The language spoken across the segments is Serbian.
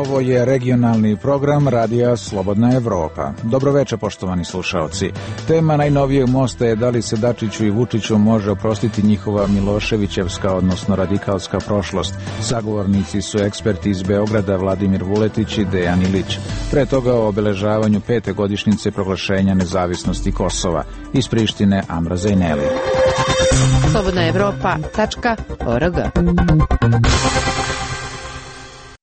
Ovo je regionalni program Radija Slobodna Evropa. Dobroveče, poštovani slušaoci. Tema najnovijeg mosta je da li se Dačiću i Vučiću može oprostiti njihova Miloševićevska, odnosno radikalska prošlost. Sagovornici su eksperti iz Beograda Vladimir Vuletić i Dejan Ilić. Pre toga o obeležavanju 5. godišnjice proglašenja nezavisnosti Kosova. Iz Prištine Amra Zejneli. slobodnaevropa.org.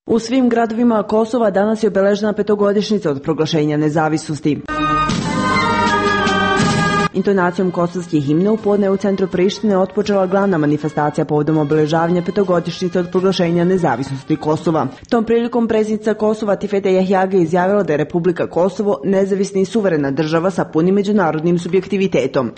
U svim gradovima Kosova danas je obeležena 5. od proglašenja nezavisnosti. Intonacijom kosovskih himna u podne u centru Prištine otpočela glavna manifestacija povodom obeležavanja 5. od proglašenja nezavisnosti Kosova. Tom prilikom predsjednica Kosova Tifete Jahjaga izjavila da je Republika Kosovo nezavisna i suverena država sa punim međunarodnim subjektivitetom.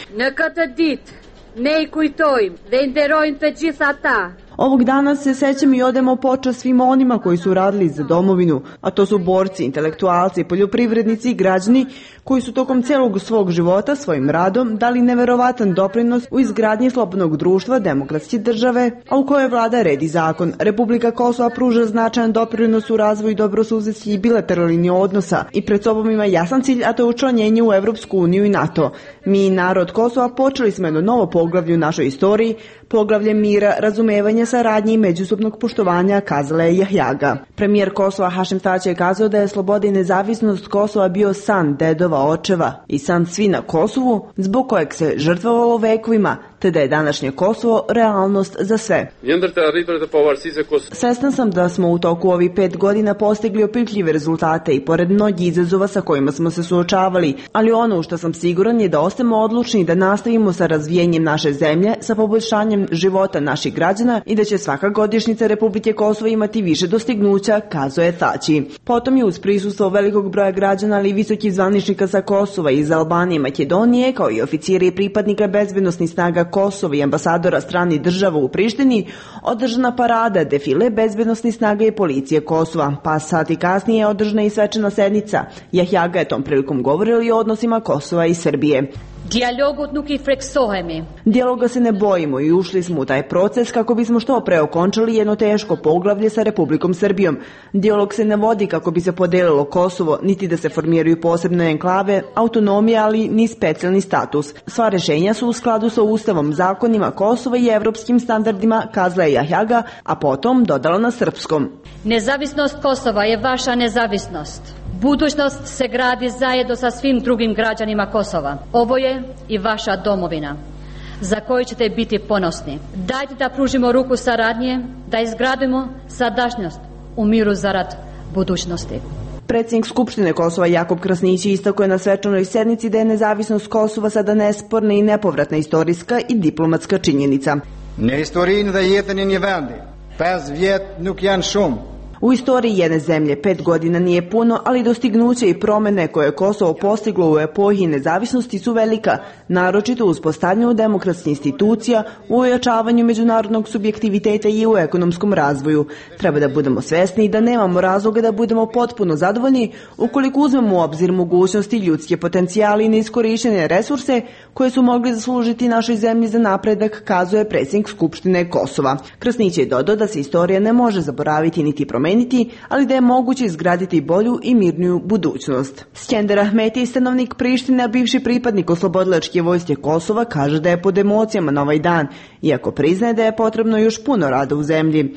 Ovog dana se sećamo i odemo počast svima onima koji su radili za domovinu, a to su borci, intelektualci, poljoprivrednici i građani koji su tokom celog svog života svojim radom dali neverovatan doprinos u izgradnji slobodnog društva, demokratske države, a u kojoj vlada red i zakon. Republika Kosova pruža značajan doprinos u razvoju dobrosusedskih i bilateralnih odnosa i pred sobom ima jasan cilj, a to je učlanjenje u Evropsku uniju i NATO. Mi, narod Kosova, počeli smo jedno novo poglavlje u našoj istoriji, poglavlje mira, razumevanja, saradnje i međusobnog poštovanja, kazala je Jahjaga. Premijer Kosova Hašim Tači je kazao da je sloboda i nezavisnost Kosova bio san dedova, očeva i san svi na Kosovu, zbog kojeg se žrtvovalo vekovima, te da je današnje Kosovo realnost za sve. Svestan sam da smo u toku ovih 5 godina postigli opipljive rezultate i pored mnogih izazova sa kojima smo se suočavali, ali ono u što sam siguran je da ostajemo odlučni da nastavimo sa razvijenjem naše zemlje, sa poboljšanjem života naših građana i da će svaka godišnjica Republike Kosovo imati više dostignuća, kazao je Tači. Potom je uz prisustvo velikog broja građana, ali i visokih zvaničnika sa Kosova iz Albanije i Makedonije, kao i oficiri i pripadnika bezbednosnih snaga Kosova i ambasadora stranih država u Prištini, održana parada, defile bezbednosnih snaga i policije Kosova. Pa sati kasnije je održana i svečana sednica. Jahjaga je tom prilikom govorila i o odnosima Kosova i Srbije. Dijaloga se ne bojimo i ušli smo u taj proces kako bismo što pre okončali jedno teško poglavlje sa Republikom Srbijom. Dijalog se ne vodi kako bi se podelilo Kosovo, niti da se formiraju posebne enklave, autonomija, ali ni specijalni status. Sva rešenja su u skladu sa Ustavom, zakonima Kosova i evropskim standardima, kazala je Jahjaga, a potom dodala na srpskom. Nezavisnost Kosova je vaša nezavisnost. Budućnost se gradi zajedno sa svim drugim građanima Kosova. Ovo je i vaša domovina, za koju ćete biti ponosni. Dajte da pružimo ruku saradnje, da izgradimo sadašnjost u miru zarad budućnosti. Predsjednik Skupštine Kosova Jakub Krasnić istakao je na svečanoj sednici da je nezavisnost Kosova sada nesporna i nepovratna istorijska i diplomatska činjenica. U istoriji jedne zemlje 5 godina nije puno, ali dostignuće i promene koje je Kosovo postiglo u epohi nezavisnosti su velika, naročito u uspostavljanju demokratskih institucija, u ojačavanju međunarodnog subjektiviteta i u ekonomskom razvoju. Treba da budemo svesni da nemamo razloga da budemo potpuno zadovoljni ukoliko uzmemo u obzir mogućnosti, ljudske potencijale i neiskorištene resurse koje su mogli zaslužiti našoj zemlji za napredak, kazuje predsjednik Skupštine Kosova. Krasnić je dodao da se istorija ne može zaboraviti niti promeniti, ali da je moguće izgraditi bolju i mirniju budućnost. Skender Ahmeti, stanovnik Prištine, a bivši pripadnik oslobodilačke vojske Kosova, kaže da je pod emocijama na ovaj dan, iako priznaje da je potrebno još puno rada u zemlji.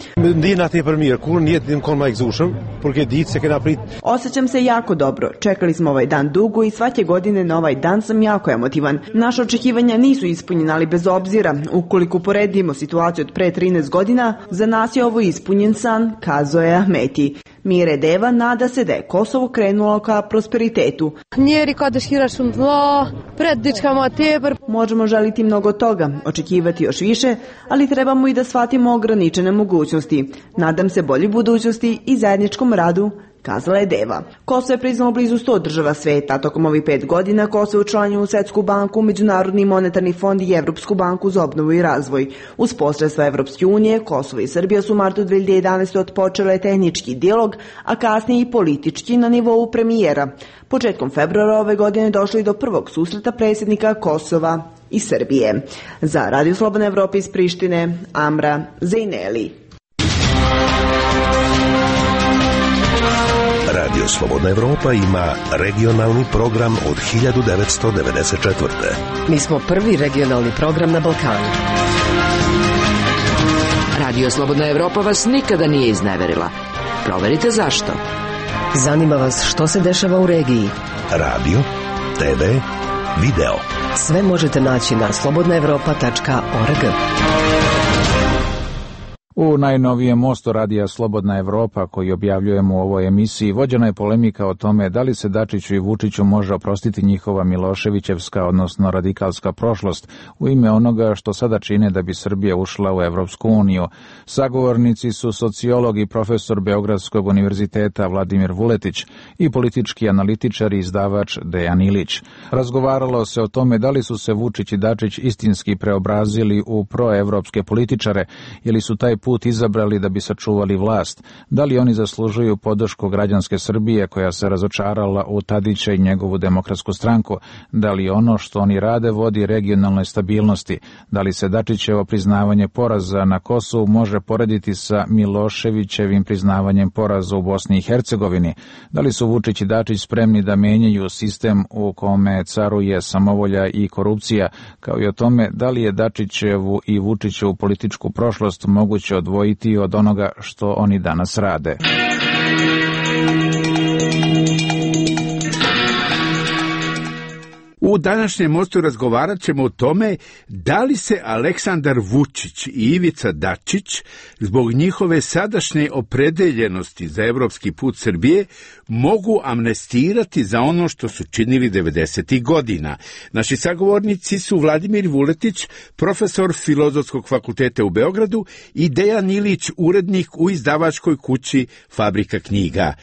Osjećam se jako dobro. Čekali smo ovaj dan dugo i svake godine na ovaj dan sam jako emotivan. Naše očekivanja nisu ispunjena, ali bez obzira, ukoliko poredimo situaciju od pre 13 godina, za nas je ovo ispunjen san, kazao je Ahmeti. Mire Deva nada se da je Kosovo krenulo ka prosperitetu. Možemo želiti mnogo toga, očekivati još više, ali trebamo i da shvatimo ograničene mogućnosti. Nadam se bolji budućnosti i zajedničkom radu, kazala je Deva. Kosovo je priznalo blizu 100 država sveta, a tokom ovih 5 godina Kosovo je učlanjeno u Svetsku banku, Međunarodni monetarni fond i Evropsku banku za obnovu i razvoj. Uz posredstva Evropske unije, Kosovo i Srbija su u martu 2011. otpočele tehnički dijalog, a kasnije i politički na nivou premijera. Početkom februara ove godine došlo je do prvog susreta predsjednika Kosova i Srbije. Za Radio Slobodna Evropa iz Prištine, Amra Zejneli. Radio Slobodna Evropa ima regionalni program od 1994. Mi smo prvi regionalni program na Balkanu. Radio Slobodna Evropa vas nikada nije izneverila. Proverite zašto. Zanima vas što se dešava u regiji. Radio, TV, video. Sve možete naći na slobodnaevropa.org. U najnovijem mostu radija Slobodna Evropa koji objavljujemo u ovoj emisiji vođena je polemika o tome da li se Dačiću i Vučiću može oprostiti njihova Miloševićevska, odnosno radikalska prošlost u ime onoga što sada čine da bi Srbija ušla u Evropsku uniju. Sagovornici su sociolog i profesor Beogradskog univerziteta Vladimir Vuletić i politički analitičar i izdavač Dejan Ilić. Razgovaralo se o tome da li su se Vučić i Dačić istinski preobrazili u proevropske političare ili su taj put izabrali da bi sačuvali vlast. Da li oni zaslužuju podršku građanske Srbije koja se razočarala u Tadića i njegovu Demokratsku stranku? Da li ono što oni rade vodi regionalnoj stabilnosti? Da li se Dačićevo priznavanje poraza na Kosovu može porediti sa Miloševićevim priznavanjem poraza u Bosni i Hercegovini? Da li su Vučić i Dačić spremni da menjaju sistem u kome caruje samovolja i korupcija, kao i o tome da li je Dačićevu i Vučićevu političku prošlost moguće odvojiti od onoga što oni danas rade. U današnjem mostu razgovarat ćemo o tome da li se Aleksandar Vučić i Ivica Dačić zbog njihove sadašnje opredeljenosti za evropski put Srbije mogu amnestirati za ono što su činili 90. godina. Naši sagovornici su Vladimir Vuletić, profesor Filozofskog fakulteta u Beogradu, i Dejan Ilić, urednik u izdavačkoj kući Fabrika knjiga.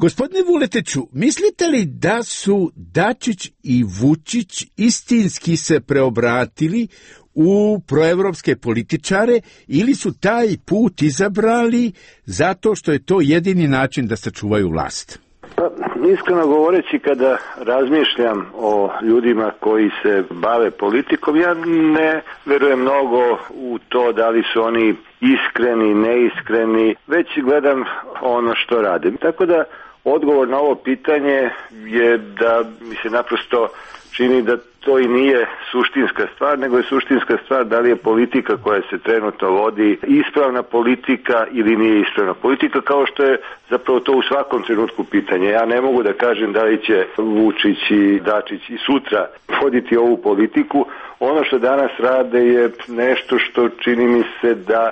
Gospodine Vuletiću, mislite li da su Dačić i Vučić istinski se preobratili u proevropske političare ili su taj put izabrali zato što je to jedini način da sačuvaju vlast? Pa, iskreno govoreći, kada razmišljam o ljudima koji se bave politikom, ja ne verujem mnogo u to da li su oni iskreni, neiskreni, već gledam ono što radim. Tako da odgovor na ovo pitanje je da mi se naprosto čini da to i nije suštinska stvar, nego je suštinska stvar da li je politika koja se trenutno vodi ispravna politika ili nije ispravna politika, kao što je zapravo to u svakom trenutku pitanje. Ja ne mogu da kažem da li će Vučić i Dačić i sutra voditi ovu politiku. Ono što danas rade je nešto što čini mi se da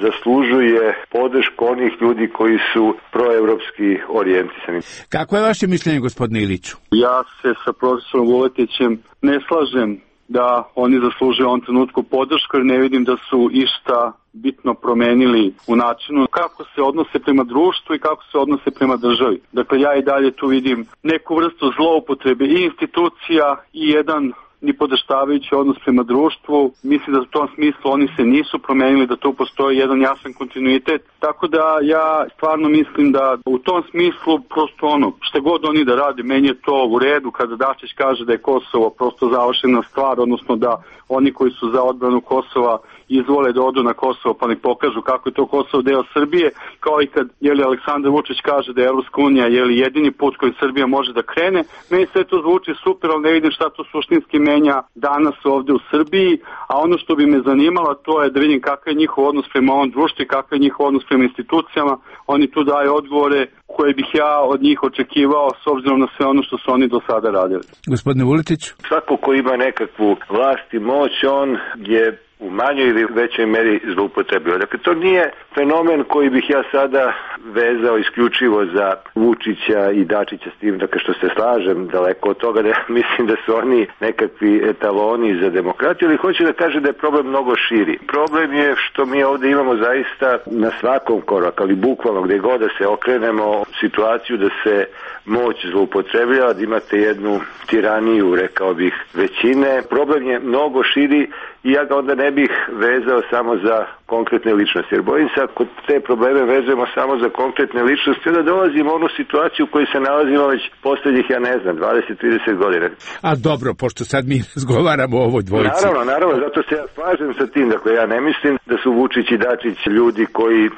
zaslužuje podršku onih ljudi koji su proevropski orijentisani. Kako je vaše mišljenje, gospodine Iliću? Ja se sa profesorom Vuletićem ne slažem da oni zaslužuju u ovom trenutku podršku, jer ne vidim da su išta bitno promenili u načinu kako se odnose prema društvu i kako se odnose prema državi. Dakle, ja i dalje tu vidim neku vrstu zloupotrebe i institucija i jedan nipodaštavajući odnos prema društvu. Mislim da u tom smislu oni se nisu promenili, da tu postoji jedan jasan kontinuitet. Tako da ja stvarno mislim da u tom smislu prosto što god oni da rade, meni je to u redu kada Dačić kaže da je Kosovo prosto završena stvar, odnosno da oni koji su za odbranu Kosova izvole da odu na Kosovo pa nek pokažu kako je to Kosovo deo Srbije, kao i kad Aleksandar Vučić kaže da je Evropska unija jedini put kojim Srbija može da krene. Meni sve to zvuči super, ali ne vidim šta to suštinski menja danas ovde u Srbiji, a ono što bi me zanimalo to je da vidim kakav je njihov odnos prema ovom društvu i kakav je njihov odnos prema institucijama. Oni tu daju odgovore koje bih ja od njih očekivao s obzirom na sve ono što su oni do sada radili. Gospodine Vuletić? Svako ko ima nekakvu vlast i moć, on je u manjoj ili većoj meri zloupotrebio. Dakle, to nije fenomen koji bih ja sada vezao isključivo za Vučića i Dačića s tim, dakle što se slažem daleko od toga da ja mislim da su oni nekakvi etaloni za demokratiju, ali hoću da kažem da je problem mnogo širi. Problem je što mi ovde imamo zaista na svakom koraku, ali bukvalno gde god da se okrenemo, situaciju da se moć zloupotrebljava, da imate jednu tiraniju, rekao bih, većine. Problem je mnogo širi i ja ga onda ne bih vezao samo za konkretne ličnosti. Jer bojim se ako te probleme vezujemo samo za konkretne ličnosti, onda dolazimo u onu situaciju u kojoj se nalazimo već posljednjih, 20-30 godina. A dobro, pošto sad mi razgovaramo o ovoj dvojici. Naravno, zato se ja slažem sa tim. Dakle, ja ne mislim da su Vučić i Dačić ljudi koji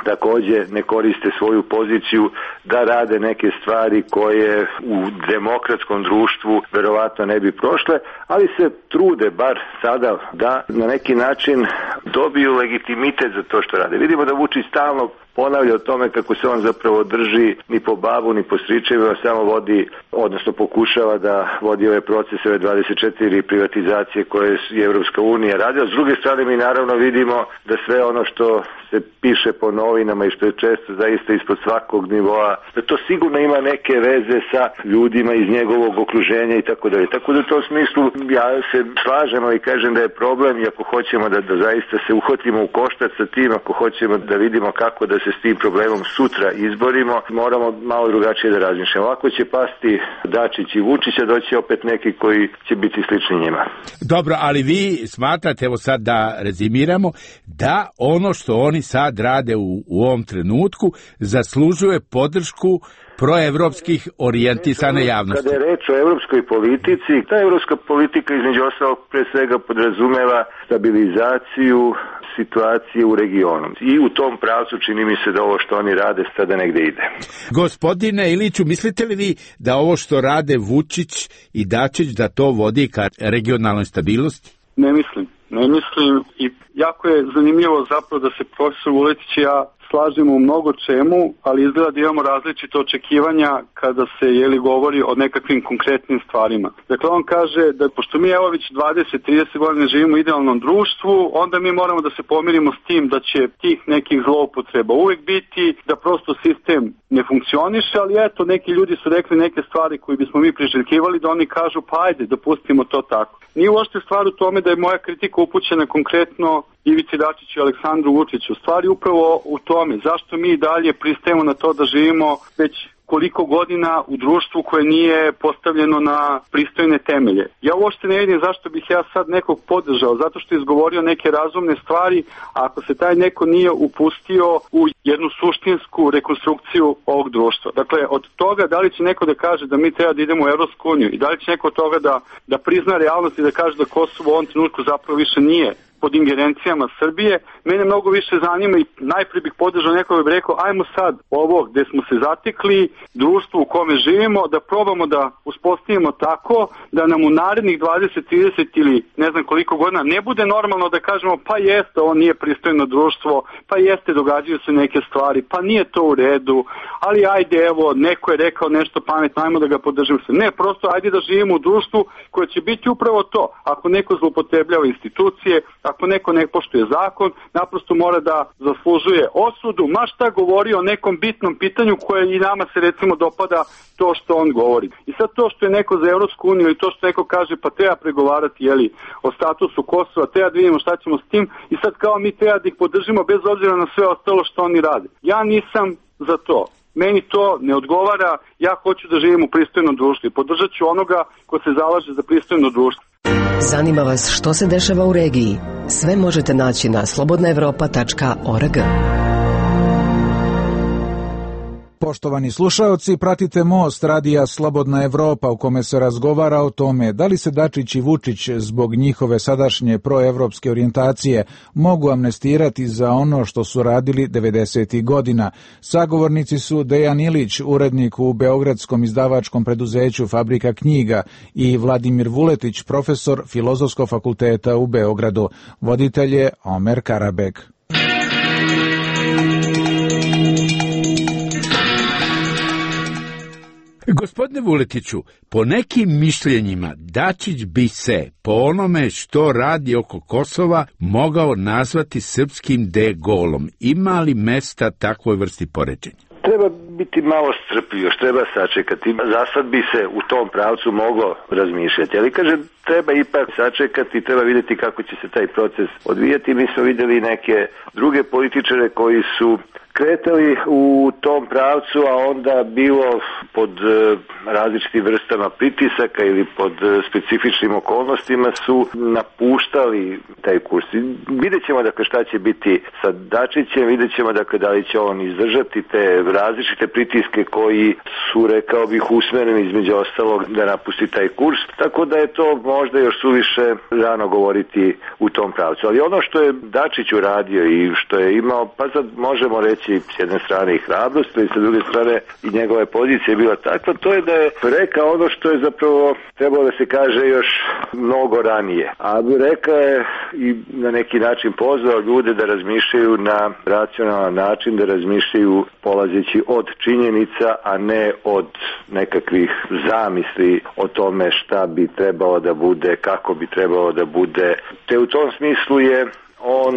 takođe ne koriste svoju poziciju da rade neke stvari koje u demokratskom društvu verovatno ne bi prošle, ali se trude bar sada da na neki način dobiju legitimitet za to što rade. Vidimo da Vučić stalno ponavlja o tome kako se on zapravo drži ni po babu ni po stričevima, samo vodi, odnosno pokušava da vodi ove procese, ove 24 privatizacije koje je Evropska unija radila. S druge strane mi naravno vidimo da sve ono što se piše po novinama i što je često zaista ispod svakog nivoa, da to sigurno ima neke veze sa ljudima iz njegovog okruženja i tako dalje. Tako da u tom smislu ja se slažem i kažem da je problem i ako hoćemo da zaista se uhvatimo u koštac sa tim, ako hoćemo da vidimo kako da se s tim problemom sutra izborimo, moramo malo drugačije da razmišljamo. Ovako će pasti Dačić i Vučić, a doći opet neki koji će biti slični njima. Dobro, ali vi smatrate, evo sad da rezimiramo, da ono što oni sad rade u ovom trenutku zaslužuje podršku proevropskih orijentisane javnosti. Kada je reč o evropskoj politici, ta evropska politika između ostalog pre svega podrazumeva stabilizaciju situacije u regionu. I u tom pravcu čini mi se da ovo što oni rade sada negde ide. Gospodine Iliću, mislite li vi da ovo što rade Vučić i Dačić da to vodi ka regionalnoj stabilnosti? Ne mislim i jako je zanimljivo zapravo da se profesor Vuletić i ja slažemo u mnogo čemu, ali izgleda da imamo različite očekivanja kada se govori o nekakvim konkretnim stvarima. Dakle, on kaže da pošto mi evo već 20-30 godina živimo u idealnom društvu, onda mi moramo da se pomirimo s tim da će tih nekih zloupotreba uvek biti, da prosto sistem ne funkcioniše, ali eto, neki ljudi su rekli neke stvari koje bismo mi priželjkivali da oni kažu pa ajde, dopustimo to tako. Nije uopšte stvar u tome da je moja kritika upućena konkretno Ivici Dačiću i Aleksandru Vučiću. Stvari upravo u tome zašto mi dalje pristajemo na to da živimo već koliko godina u društvu koje nije postavljeno na pristojne temelje. Ja uopšte ne vidim zašto bih ja sad nekog podržao, zato što je izgovorio neke razumne stvari, a ako se taj neko nije upustio u jednu suštinsku rekonstrukciju ovog društva. Dakle, od toga da li će neko da kaže da mi treba da idemo u Evropsku uniju i da li će neko od toga da prizna realnost i da kaže da Kosovo u ovom trenutku zapravo više nije pod ingerencijama Srbije, mene mnogo više zanima i najprije bih podržao nekoga bi rekao ajmo sad ovo gde smo se zatekli, društvo u kome živimo, da probamo da uspostavimo tako da nam u narednih 20, 30 ili ne znam koliko godina ne bude normalno da kažemo pa jeste, ovo nije pristojno društvo, pa jeste, događaju se neke stvari, pa nije to u redu, ali ajde evo, neko je rekao nešto pametno, ajmo da ga podržimo se. Ne, prosto ajde da živimo u društvu koje će biti upravo to. Ako neko zloupotrebljava institucije, ako neko ne poštuje zakon, naprosto mora da zaslužuje osudu, ma šta govori o nekom bitnom pitanju koje i nama se recimo dopada to što on govori. I sad to što je neko za Evropsku uniju i to što neko kaže pa treba pregovarati o statusu Kosova, treba da vidimo šta ćemo s tim i sad kao mi treba da ih podržimo bez obzira na sve ostalo što oni rade. Ja nisam za to. Meni to ne odgovara, ja hoću da živim u pristojnom društvu i podržat ću onoga ko se zalaže za pristojno društvo. Zanima vas što se dešava u regiji? Sve možete naći na slobodnaevropa.org. Poštovani slušaoci, pratite Most radija Slobodna Evropa u kome se razgovara o tome da li se Dačić i Vučić zbog njihove sadašnje proevropske orijentacije mogu amnestirati za ono što su radili 90. godina. Sagovornici su Dejan Ilić, urednik u beogradskom izdavačkom preduzeću Fabrika knjiga i Vladimir Vuletić, profesor Filozofskog fakulteta u Beogradu. Voditelj je Omer Karabek. Gospodine Vuletiću, po nekim mišljenjima Dačić bi se, po onome što radi oko Kosova, mogao nazvati srpskim De Gaulom. Ima li mesta takvoj vrsti poređenja? Treba biti malo strpljiv, još treba sačekati. Za sad bi se u tom pravcu moglo razmišljati, ali kažem, treba ipak sačekati, treba vidjeti kako će se taj proces odvijati. Mi smo vidjeli neke druge političare koji su kretali u tom pravcu, a onda bilo pod različitim vrstama pritisaka ili pod specifičnim okolnostima su napuštali taj kurs. Vidjet ćemo dakle šta će biti sa Dačićem, vidjet ćemo dakle da li će on izdržati te različite pritiske koji su, rekao bih, usmereni između ostalog da napusti taj kurs, tako da je to možda još suviše rano govoriti u tom pravcu. Ali ono što je Dačić uradio i što je imao, pa sad možemo reći s jedne strane i hrabrost, i sa druge strane i njegove pozicije bila takva, to je da je rekao ono što je zapravo trebalo da se kaže još mnogo ranije. A rekao je i na neki način pozvao ljude da razmišljaju na racionalan način, da razmišljaju polazeći od činjenica, a ne od nekakvih zamisli o tome šta bi trebalo da bude, kako bi trebalo da bude. Te u tom smislu je on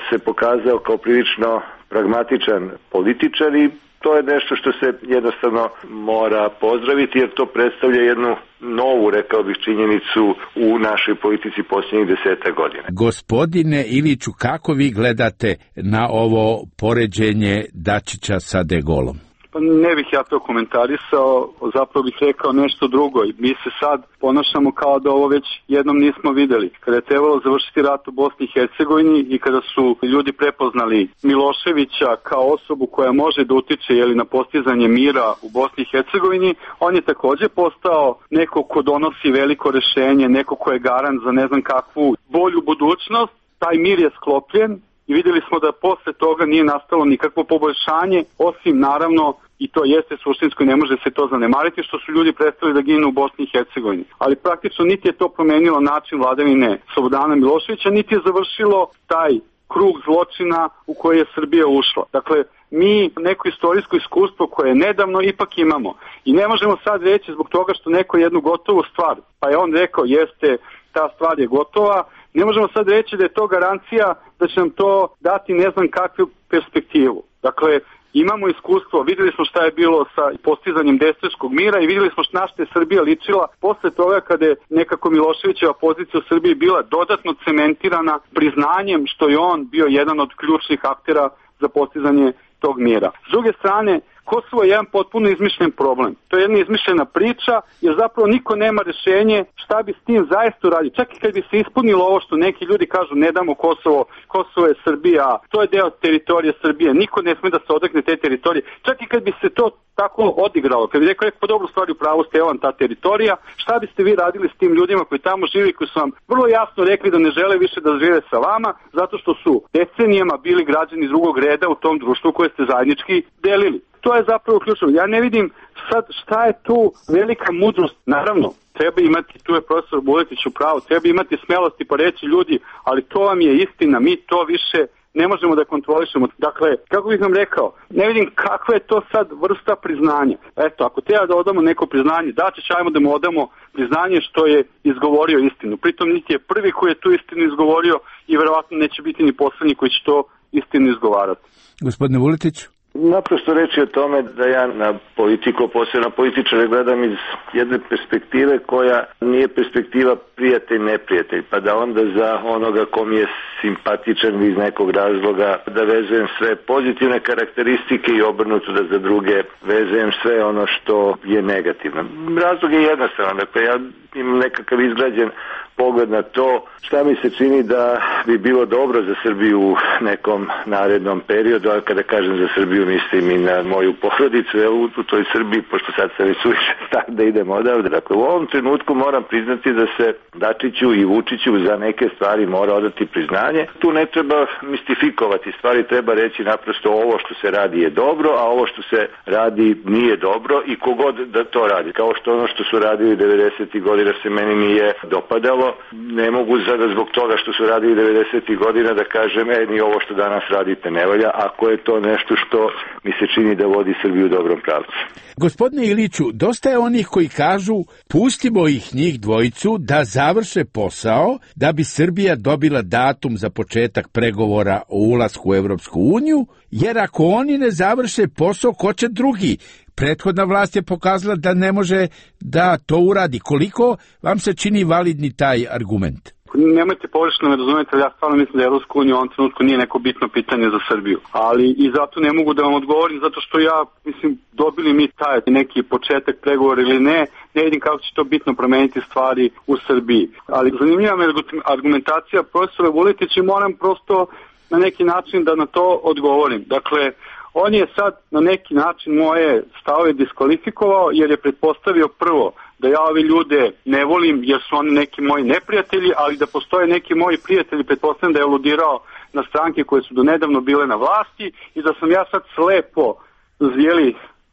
se pokazao kao prilično pragmatičan političar i to je nešto što se jednostavno mora pozdraviti, jer to predstavlja jednu novu, rekao bih, činjenicu u našoj politici posljednjih 10 godina. Gospodine Iliću, kako vi gledate na ovo poređenje Dačića sa De Gaulom? Pa ne bih ja to komentarisao, zapravo bih rekao nešto drugo. Mi se sad ponašamo kao da ovo već jednom nismo videli. Kada je trebalo završiti rat u Bosni i Hercegovini i kada su ljudi prepoznali Miloševića kao osobu koja može da utiče na postizanje mira u Bosni i Hercegovini, on je takođe postao neko ko donosi veliko rešenje, neko ko je garant za ne znam kakvu bolju budućnost. Taj mir je sklopljen. I vidjeli smo da posle toga nije nastalo nikakvo poboljšanje, osim naravno, i to jeste suštinsko i ne može se to zanemariti, što su ljudi prestali da ginu u Bosni i Hercegovini. Ali praktično niti je to promenilo način vladavine Slobodana Miloševića, niti je završilo taj krug zločina u koji je Srbija ušla. Dakle, mi neko istorijsko iskustvo koje je nedavno ipak imamo. I ne možemo sad reći zbog toga što neko jednu gotovu stvar, pa je on rekao jeste, ta stvar je gotova, ne možemo sad reći da je to garancija da će nam to dati ne znam kakvu perspektivu. Dakle, imamo iskustvo, vidjeli smo šta je bilo sa postizanjem Dejtonskog mira i vidjeli smo na što je Srbija ličila posle toga kada je nekako Miloševićeva pozicija u Srbiji bila dodatno cementirana priznanjem što je on bio jedan od ključnih aktera za postizanje tog mira. S druge strane, Kosovo je jedan potpuno izmišljen problem. To je jedna izmišljena priča, jer zapravo niko nema rešenje šta bi s tim zaista uradio. Čak i kad bi se ispunilo ovo što neki ljudi kažu ne damo Kosovo, Kosovo je Srbija, to je deo teritorije Srbije, niko ne sme da se odrekne te teritorije. Čak i kad bi se to tako odigralo, kad bi rekao po dobru stvari u pravu ste vam ta teritorija, šta biste vi radili s tim ljudima koji tamo živi, koji su vam vrlo jasno rekli da ne žele više da žive sa vama, zato što su decenijama bili građani drugog reda u tom društvu koje ste zajednički delili. To je zapravo ključno. Ja ne vidim sad šta je tu velika mudrost. Naravno, treba imati, tu je profesor Vuletić u pravu, treba imati smelosti pa reći ljudi, ali to vam je istina, mi to više ne možemo da kontrolišemo. Dakle, kako bih vam rekao, ne vidim kakva je to sad vrsta priznanja. Eto, ako treba da odamo neko priznanje, Dačić, ajmo da mu odamo priznanje što je izgovorio istinu. Pritom niti je prvi koji je tu istinu izgovorio i verovatno neće biti ni poslednji koji će to istinu izgovarati. Gospodine Vuletić? Naprosto reći o tome da ja na politiku, posebno političare, gledam iz jedne perspektive koja nije perspektiva prijatelj-neprijatelj, pa da onda za onoga ko mi je simpatičan iz nekog razloga da vezujem sve pozitivne karakteristike i obrnuto da za druge vezujem sve ono što je negativno. Razlog je jednostavan, dakle ja imam nekakav izgrađen pogled na to šta mi se čini da bi bilo dobro za Srbiju u nekom narednom periodu, a kada kažem za Srbiju mislim i na moju porodicu u toj Srbiji, pošto sad sam već suviše star da idem odavde. Dakle, u ovom trenutku moram priznati da se Dačiću i Vučiću za neke stvari mora odati priznanje. Tu ne treba mistifikovati stvari, treba reći naprosto ovo što se radi je dobro, a ovo što se radi nije dobro i kogod da to radi. Kao što ono što su radili 90. godina se meni nije dopadalo, ne mogu sada zbog toga što su radili 90. godina da kažem ni ovo što danas radite ne valja, ako je to nešto što mi se čini da vodi Srbiju u dobrom pravcu. Gospodine Iliću, dosta je onih koji kažu pustimo ih njih dvojicu da završe posao da bi Srbija dobila datum za početak pregovora o ulasku u Evropsku uniju, jer ako oni ne završe posao, ko će drugi? Prethodna vlast je pokazala da ne može da to uradi. Koliko vam se čini validni taj argument? Nemojte pogrešno me razumeti, ali ja stvarno mislim da Evropska unija u ovom trenutku nije neko bitno pitanje za Srbiju. Ali i zato ne mogu da vam odgovorim, zato što ja, mislim, dobili mi taj neki početak pregovora ili ne vidim kako će to bitno promeniti stvari u Srbiji. Ali zanimljiva me argumentacija profesora Vuletića i moram prosto na neki način da na to odgovorim. Dakle, On je sad na neki način moje stavove diskvalifikovao jer je pretpostavio prvo da ja ove ljude ne volim jer su oni neki moji neprijatelji, ali da postoje neki moji prijatelji, pretpostavljam da je aludirao na stranke koje su donedavno bile na vlasti i da sam ja sad slepo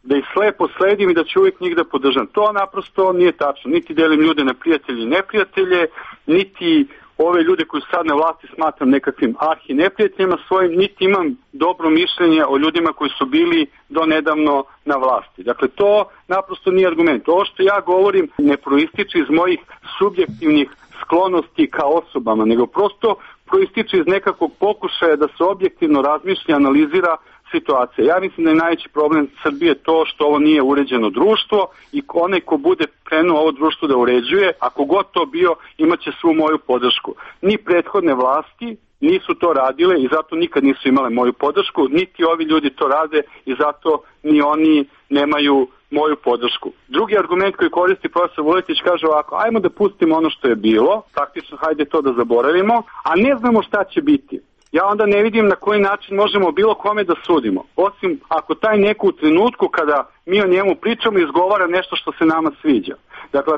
da ih slepo sledim i da ću uvijek njih da podržam. To naprosto nije tačno. Niti delim ljude na prijatelje i neprijatelje, niti ove ljude koji su sad na vlasti smatram nekakvim arhi neprijateljima svojim, niti imam dobro mišljenje o ljudima koji su bili do nedavno na vlasti. Dakle, to naprosto nije argument. Ovo što ja govorim ne proističe iz mojih subjektivnih sklonosti ka osobama, nego prosto proističe iz nekakvog pokušaja da se objektivno razmišlja, analizira situacija. Ja mislim da je najveći problem Srbije to što ovo nije uređeno društvo i onaj ko bude krenuo ovo društvo da uređuje, ako god to bio, imaće svu moju podršku. Ni prethodne vlasti nisu to radile i zato nikad nisu imale moju podršku, niti ovi ljudi to rade i zato ni oni nemaju moju podršku. Drugi argument koji koristi profesor Vuletić kaže ovako, ajmo da pustimo ono što je bilo, praktično hajde to da zaboravimo, a ne znamo šta će biti. Ja onda ne vidim na koji način možemo bilo kome da sudimo, osim ako taj neko u trenutku kada mi o njemu pričamo izgovara nešto što se nama sviđa. Dakle,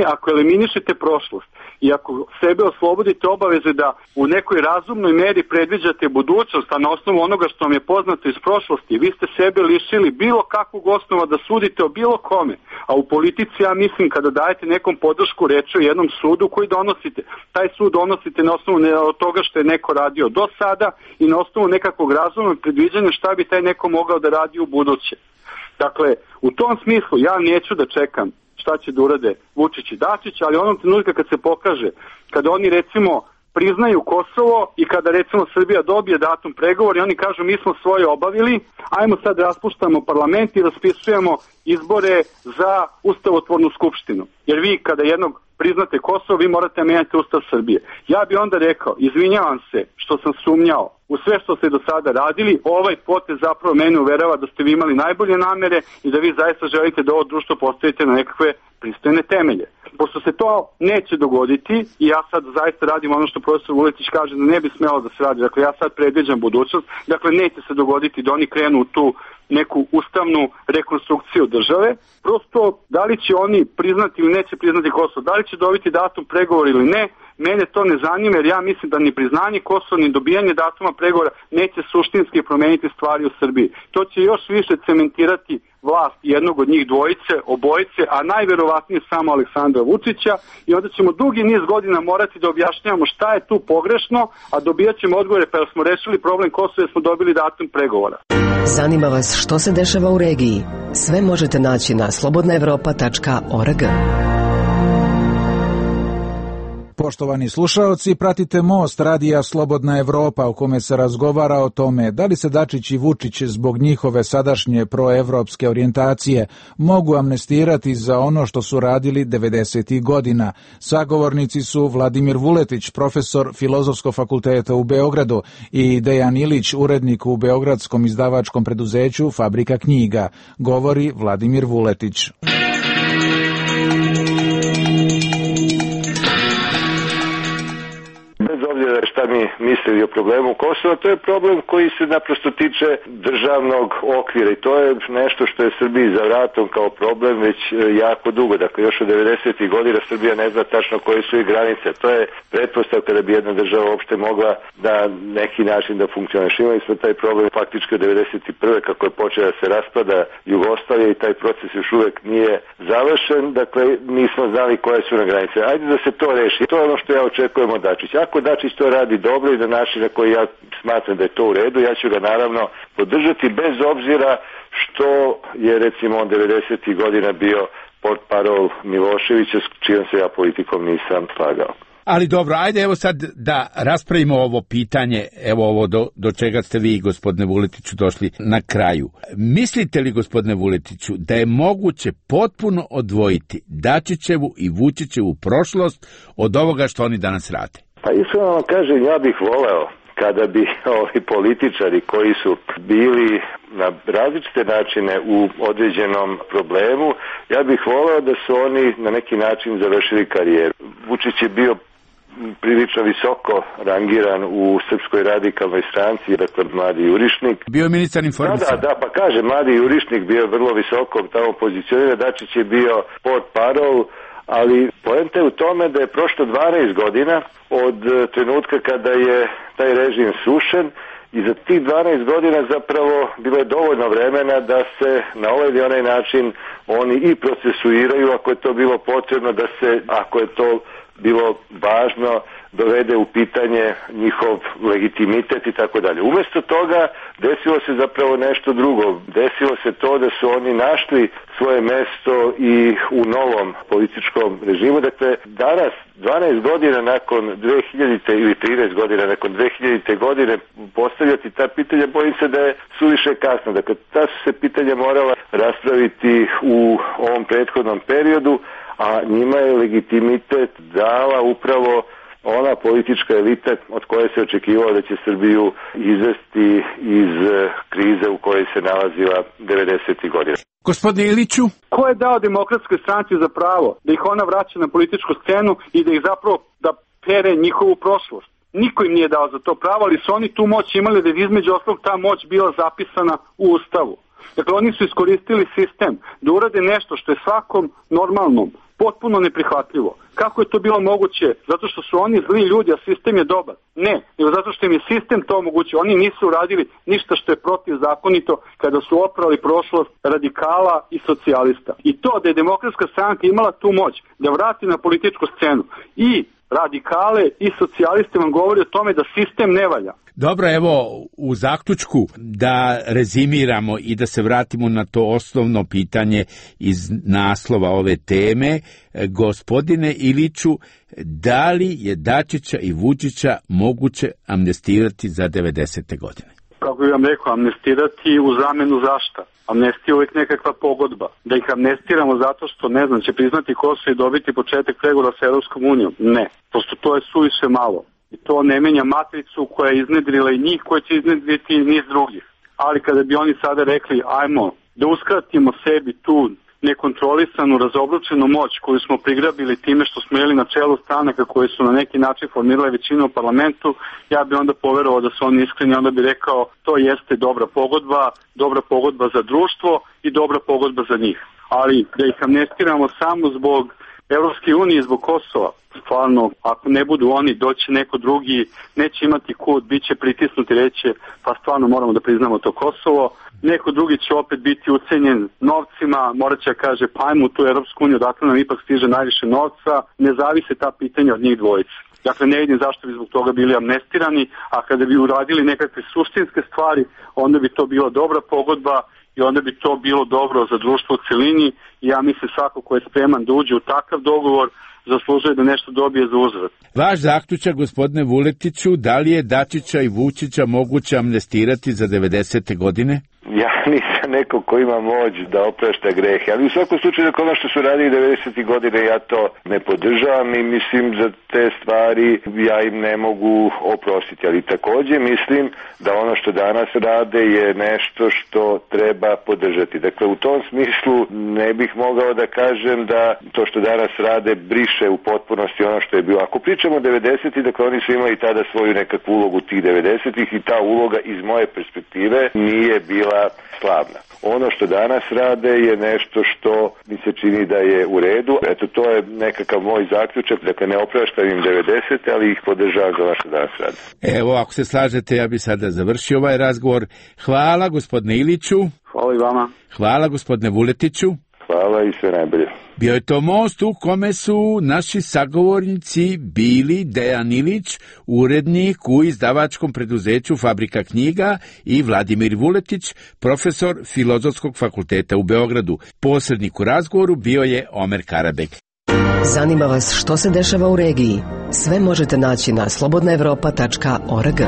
ako eliminišete prošlost i ako sebe oslobodite obaveze da u nekoj razumnoj meri predviđate budućnost, a na osnovu onoga što vam je poznato iz prošlosti, vi ste sebe lišili bilo kakvog osnova da sudite o bilo kome. A u politici, ja mislim, kada dajete nekom podršku, reč o jednom sudu koji donosite. Taj sud donosite na osnovu toga što je neko radio do sada i na osnovu nekakvog razumnog predviđanja šta bi taj neko mogao da radi u buduće. Dakle, u tom smislu ja neću da čekam šta će da urade Vučić i Dačić, ali onom trenutka kad se pokaže, kada oni recimo priznaju Kosovo i kada recimo Srbija dobije datum pregovora i oni kažu mi smo svoje obavili, ajmo sad raspuštamo parlament i raspisujemo izbore za ustavotvornu skupštinu. Jer vi kada jednog priznate Kosovo, vi morate menjati Ustav Srbije. Ja bi onda rekao, izvinjavam se što sam sumnjao u sve što ste do sada radili, ovaj potez zapravo mene uverava da ste vi imali najbolje namere i da vi zaista želite da ovo društvo postavite na nekakve pristojne temelje. Pošto se to neće dogoditi i ja sad zaista radim ono što profesor Vuletić kaže da ne bi smelo da se radi, dakle ja sad predviđam budućnost, dakle neće se dogoditi da oni krenu u tu neku ustavnu rekonstrukciju države, prosto da li će oni priznati ili neće priznati Kosovo, da li će dobiti datum pregovora ili ne, mene to ne zanima jer ja mislim da ni priznanje Kosova ni dobijanje datuma pregovora neće suštinski promeniti stvari u Srbiji. To će još više cementirati vlast jednog od njih obojice, a najverovatnije samo Aleksandra Vučića i onda ćemo dugi niz godina morati da objašnjavamo šta je tu pogrešno, a dobijat ćemo odgovore pa smo rešili problem Kosova jer smo dobili datum pregovora. Zanima vas što se dešava u regiji? Sve možete naći na slobodnaevropa.org. Poštovani slušaoci, pratite Most radija Slobodna Evropa u kome se razgovara o tome da li se Dačić i Vučić zbog njihove sadašnje proevropske orijentacije mogu amnestirati za ono što su radili 90. godina. Sagovornici su Vladimir Vuletić, profesor Filozofskog fakulteta u Beogradu i Dejan Ilić, urednik u beogradskom izdavačkom preduzeću Fabrika knjiga. Govori Vladimir Vuletić. Šta mi mislili o problemu Kosova, to je problem koji se naprosto tiče državnog okvira i to je nešto što je Srbiji za vratom kao problem već jako dugo. Dakle, još od 90. godina Srbija ne zna tačno koje su i granice. To je pretpostavka da bi jedna država uopšte mogla da neki način da funkcioniše. Imali smo taj problem faktički od 91. kako je počeo da se raspada Jugoslavija i taj proces još uvek nije završen. Dakle, nismo znali koje su na granice. Ajde da se to reši. To je ono što ja očekujem od Dačića. Ako Dačić to radi dobro i na način na koji ja smatram da je to u redu, ja ću ga naravno podržati bez obzira što je recimo on 90. godina bio portparol Miloševića s čijom se ja politikom nisam slagao. Ali dobro, ajde evo sad da raspravimo ovo pitanje, evo ovo do čega ste vi, gospodine Vuletiću, došli na kraju. Mislite li, gospodine Vuletiću, da je moguće potpuno odvojiti Dačićevu i Vučićevu prošlost od ovoga što oni danas rade? Pa iskreno vam kažem, ja bih voleo kada bi ovi političari koji su bili na različite načine u određenom problemu, ja bih voleo da su oni na neki način završili karijeru. Vučić je bio prilično visoko rangiran u Srpskoj radikalnoj stranci, dakle Mladi Jurišnik. Bio je ministar informisanja. Da, pa kaže, Mladi Jurišnik bio vrlo visoko tamo pozicioniran, Dačić je bio portparol, ali poenta je u tome da je prošlo 12 godina od trenutka kada je taj režim srušen i za tih 12 godina zapravo bilo je dovoljno vremena da se na ovaj ili onaj način oni i procesuiraju ako je to bilo potrebno, da se, ako je to bilo važno, dovede u pitanje njihov legitimitet i tako dalje. Umesto toga desilo se zapravo nešto drugo. Desilo se to da su oni našli svoje mesto i u novom političkom režimu. Dakle, danas, 12 godina nakon 2000. ili 13 godina nakon 2000. godine postavljati ta pitanja, bojim se da je suviše kasno. Dakle, ta su se pitanja morala raspraviti u ovom prethodnom periodu, a njima je legitimitet dala upravo ona politička elita od koje se očekivalo da će Srbiju izvesti iz krize u kojoj se nalazila 90. godina. Gospodine Iliću? Ko je dao Demokratskoj stranci za pravo da ih ona vraća na političku scenu i da ih zapravo da pere njihovu prošlost? Niko im nije dao za to pravo, ali su oni tu moć imali da je između ostalog ta moć bila zapisana u Ustavu. Dakle, oni su iskoristili sistem da urade nešto što je svakom normalnom potpuno neprihvatljivo. Kako je to bilo moguće? Zato što su oni zli ljudi, a sistem je dobar? Ne, nego zato što im je sistem to omogućio. Oni nisu uradili ništa što je protivzakonito kada su oprali prošlost radikala i socijalista. I to da je Demokratska stranka imala tu moć da vrati na političku scenu i radikale i socijaliste vam govori o tome da sistem ne valja. Dobro, evo u zaključku da rezimiramo i da se vratimo na to osnovno pitanje iz naslova ove teme. Gospodine Iliću, da li je Dačića i Vučića moguće amnestirati za 90. godine? Kako bih vam rekao, amnestirati u zamenu zašta? Amnestija je uvijek nekakva pogodba. Da ih amnestiramo zato što, ne znam, će priznati Kosovo i dobiti početak pregovora sa Europskom unijom? Ne. Prosto to je suviše malo. I to ne menja matricu koja je iznedrila i njih, koja će iznedriti i niz drugih. Ali kada bi oni sada rekli, ajmo da uskratimo sebi tu nekontrolisanu, razobručenu moć koju smo prigrabili time što smo jeli na čelu stranaka koje su na neki način formirale većinu u parlamentu, ja bi onda poverovao da su oni iskreni, onda bi rekao to jeste dobra pogodba za društvo i dobra pogodba za njih. Ali da ih amnestiramo samo zbog Evropske unije, zbog Kosova, stvarno, ako ne budu oni, doći neko drugi, neće imati kud, bit će pritisnuti, reće, pa stvarno moramo da priznamo to Kosovo, neko drugi će opet biti ucenjen novcima, morat će kaže, pa ajmo u tu Evropsku uniju, dakle nam ipak stiže najviše novca, ne zavise ta pitanja od njih dvojice. Dakle, ne vidim zašto bi zbog toga bili amnestirani, a kada bi uradili nekakve suštinske stvari, onda bi to bila dobra pogodba i onda bi to bilo dobro za društvo u celini i ja mislim svako ko je spreman da uđe u takav dogovor zaslužuje da nešto dobije za uzvrat. Vaš zaključak, gospodine Vuletiću, da li je Dačića i Vučića moguće amnestirati za 90. godine? Ja nisam neko ko ima moć da oprašta grehe, ali u svakom slučaju da ono što su radili 90. godine ja to ne podržavam i mislim za te stvari ja im ne mogu oprostiti, ali takođe mislim da ono što danas rade je nešto što treba podržati. Dakle, u tom smislu ne bih mogao da kažem da to što danas rade briše u potpunosti ono što je bilo. Ako pričamo o 90. dakle oni su imali tada svoju nekakvu ulogu tih 90-ih i ta uloga iz moje perspektive nije bila slavna. Ono što danas rade je nešto što mi se čini da je u redu. Eto, to je nekakav moj zaključak. Dakle, ne opraštam im 90. ali ih podržavam za ono što danas rade. Evo, ako se slažete, ja bi sada završio ovaj razgovor. Hvala, gospodine Iliću. Hvala i vama. Hvala, gospodine Vuletiću. Hvala i sve najbolje. Bio je to most u kome su naši sagovornici bili Dejan Ilić, urednik u izdavačkom preduzeću Fabrika knjiga i Vladimir Vuletić, profesor Filozofskog fakulteta u Beogradu. Posrednik u razgovoru bio je Omer Karabek. Zanima vas što se dešava u regiji? Sve možete naći na slobodnaevropa.org.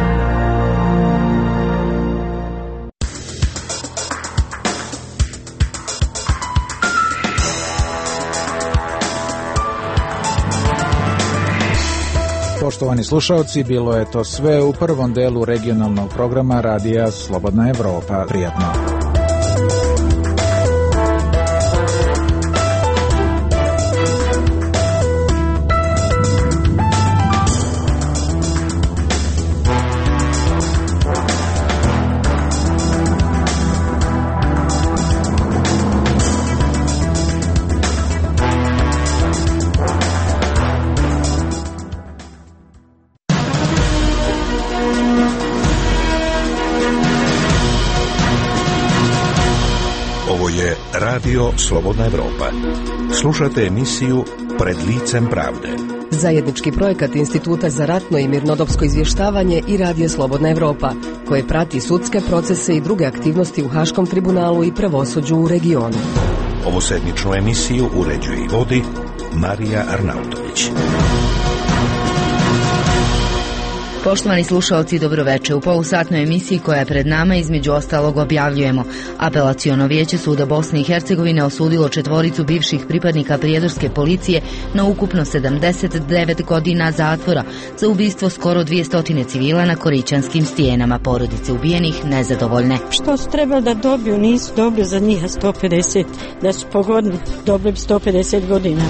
Poštovani slušalci, bilo je to sve u prvom delu regionalnog programa Radija Slobodna Evropa. Prijatno. je Radio Slobodna Evropa. Slušate emisiju Pred licem pravde. Zajednički projekat Instituta za ratno i mirnodopsko izvještavanje i Radio Slobodna Evropa, koje prati sudske procese i druge aktivnosti u Haškom tribunalu i pravosuđu u regionu. Ovu sedmičnu emisiju uređuje i vodi Marija Arnautović. Poštovani slušalci, dobroveče. U polusatnoj emisiji koja je pred nama između ostalog objavljujemo: Apelaciono vijeće suda Bosne i Hercegovine osudilo 4 bivših pripadnika prijedorske policije na ukupno 79 godina zatvora za ubistvo skoro 200 civila na Korićanskim stijenama. Porodice ubijenih nezadovoljne. Što su trebali da dobiju, nisu dobili za njih 150, da su pogodni, dobili 150 godina.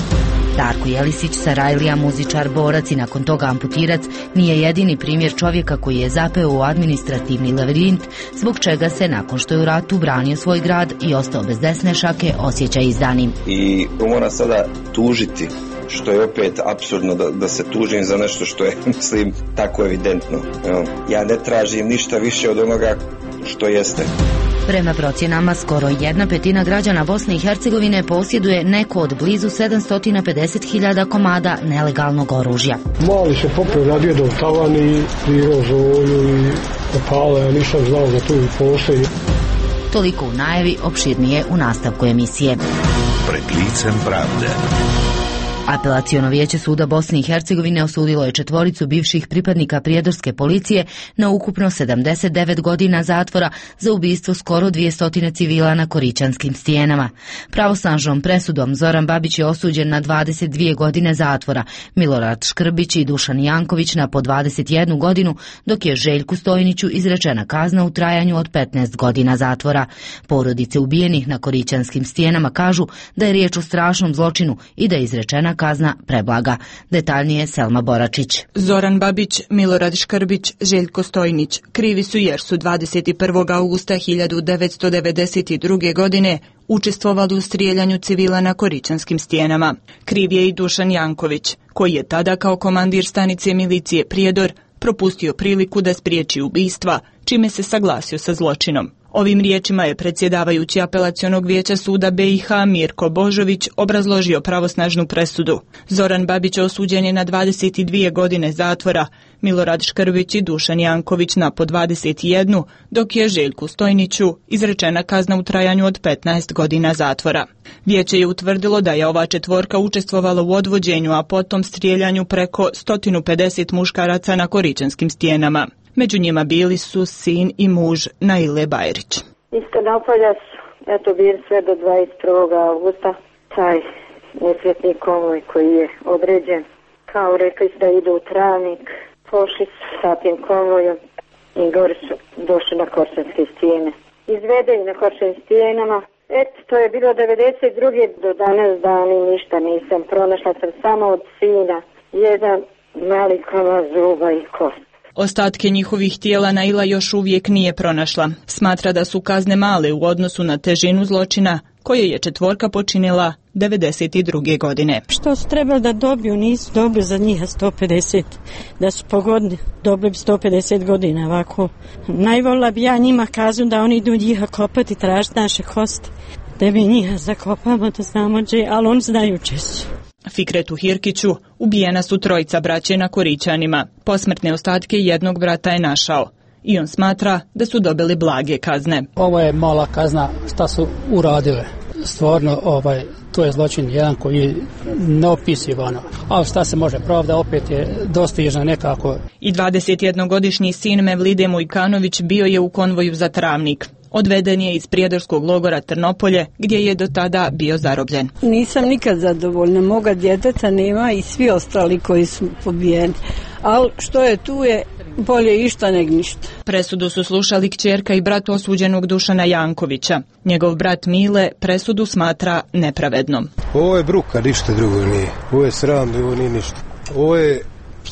Darko Jelisić, Sarajlija, muzičar, borac i nakon toga amputirac, nije jedini primjer čovjeka koji je zapeo u administrativni labirint, zbog čega se, nakon što je u ratu branio svoj grad i ostao bez desne šake, osjeća izdanim. I mora sada tužiti, što je opet apsurdno da se tužim za nešto što je, mislim, tako evidentno. Ja ne tražim ništa više od onoga što jeste. Prema procjenama, skoro 1/5 građana Bosne i Hercegovine posjeduje neko od blizu 750.000 komada nelegalnog oružja. Mali se popio radio do tavan i prirao zolju i opale, ja nisam znao da tu postoji. Toliko u najavi, opširnije u nastavku emisije. Pred licem pravde. Apelaciono vijeće suda Bosne i Hercegovine osudilo je 4 bivših pripadnika prijedorske policije na ukupno 79 godina zatvora za ubistvo skoro 200 civila na Korićanskim stijenama. Pravosnažnom presudom Zoran Babić je osuđen na 22 godine zatvora, Milorad Škrbić i Dušan Janković na po 21 godinu, dok je Željku Stojniću izrečena kazna u trajanju od 15 godina zatvora. Porodice ubijenih na Korićanskim stijenama kažu da je riječ o strašnom zločinu i da je izrečena kazna preblaga. Detaljnije Selma Boračić. Zoran Babić, Milorad Škrbić, Željko Stojnić krivi su jer su 21. augusta 1992. godine učestvovali u strijeljanju civila na Korićanskim stijenama. Kriv je i Dušan Janković, koji je tada kao komandir stanice milicije Prijedor propustio priliku da spriječi ubistva, čime se saglasio sa zločinom. Ovim riječima je predsjedavajući Apelacionog vijeća suda BiH Mirko Božović obrazložio pravosnažnu presudu. Zoran Babić osuđen je na 22 godine zatvora, Milorad Škrbić i Dušan Janković na po 21, dok je Željku Stojniću izrečena kazna u trajanju od 15 godina zatvora. Vijeće je utvrdilo da je ova 4 učestvovala u odvođenju, a potom strijeljanju preko 150 muškaraca na Korićanskim stijenama. Među njima bili su sin i muž Naile Bajrić. Iz Trnopolja su, bili sve do 21. augusta, taj nesretni konvoj koji je određen. Kao rekli su da idu u Travnik, pošli su sa tim konvojom i gore su došli na Korićanske stijene. Izvedeni na Korićanskim stijenama. To je bilo 92. do danas dani, ništa nisam pronašla, sam samo od sina jedan mali komad zuba i kost. Ostatke njihovih tijela Naila još uvijek nije pronašla. Smatra da su kazne male u odnosu na težinu zločina koje je 4 počinila 92. godine. Što su trebali da dobiju, nisu dobili za njih 150, da su pogodni, dobili 150 godina ovako. Najvolila bi ja njima kaznu da oni idu njih kopati, tražiti naše kosti, da mi njih zakopamo, da znamo gdje, ali oni znaju češće. Fikretu Hirkiću ubijena su 3 braće na Korićanima. Posmrtne ostatke jednog brata je našao i on smatra da su dobili blage kazne. Ovo je mala kazna šta su uradile. Stvarno, to je zločin jedan koji je neopisivan. Ali šta se može, pravda opet je dostižna nekako. I 21-godišnji sin Mevlide Mujkanović bio je u konvoju za Travnik. Odveden je iz prijedorskog logora Trnopolje, gdje je do tada bio zarobljen. Nisam nikad zadovoljna, moga djeteta nema i svi ostali koji su pobijeni. Ali što je tu je bolje išta nego ništa. Presudu su slušali kćerka i brat osuđenog Dušana Jankovića. Njegov brat Mile presudu smatra nepravednom. Ovo je bruka, ništa drugo nije. Ovo je sram, ovo nije ništa. Ovo je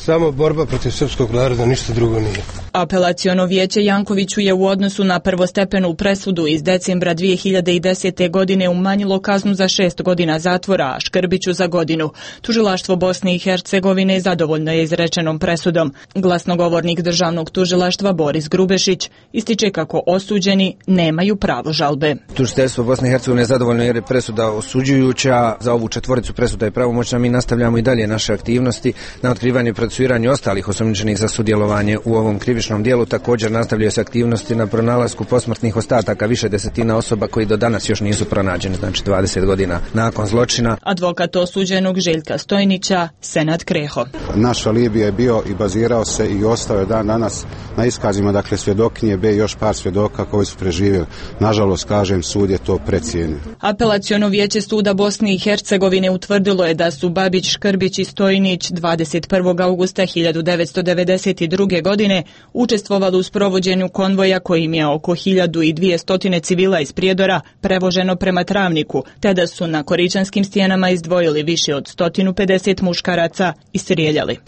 Samo borba protiv srpskog naroda, ništa drugo nije. Apelaciono vijeće Jankoviću je u odnosu na prvostepenu presudu iz decembra 2010. godine umanjilo kaznu za 6 godina zatvora, a Škrbiću za godinu. Tužilaštvo Bosne i Hercegovine zadovoljno je izrečenom presudom. Glasnogovornik državnog tužilaštva Boris Grubešić ističe kako osuđeni nemaju pravo žalbe. Tužiteljstvo Bosne i Hercegovine je zadovoljno jer je presuda osuđujuća. Za ovu četvoricu presuda je pravomoćna. Mi nastavljamo i dalje naše aktivnosti na otkrivanju i procesuiranju ostalih osumnjičenih za sudjelovanje u ovom krivičnom dijelu. Također nastavljaju se aktivnosti na pronalasku posmrtnih ostataka više desetina osoba koji do danas još nisu pronađeni, znači 20 godina nakon zločina. Advokat osuđenog Željka Stojnića, Senad Kreho. Naš alibi je bio i bazirao se i ostao je dan danas na iskazima, dakle svjedokinje B i još par svjedoka koji su preživjeli. Nažalost, kažem, sud je to precijenio. Apelaciono vijeće suda Bosne i Hercegovine utvrdilo je da su Babić, Škrbić i Stojnić 21. augusta 1992. godine učestvovali u sprovođenju konvoja kojim je oko 1200 civila iz Prijedora prevoženo prema Travniku, te da su na Koričanskim stijenama izdvojili više od 150 muškaraca i strijeljali.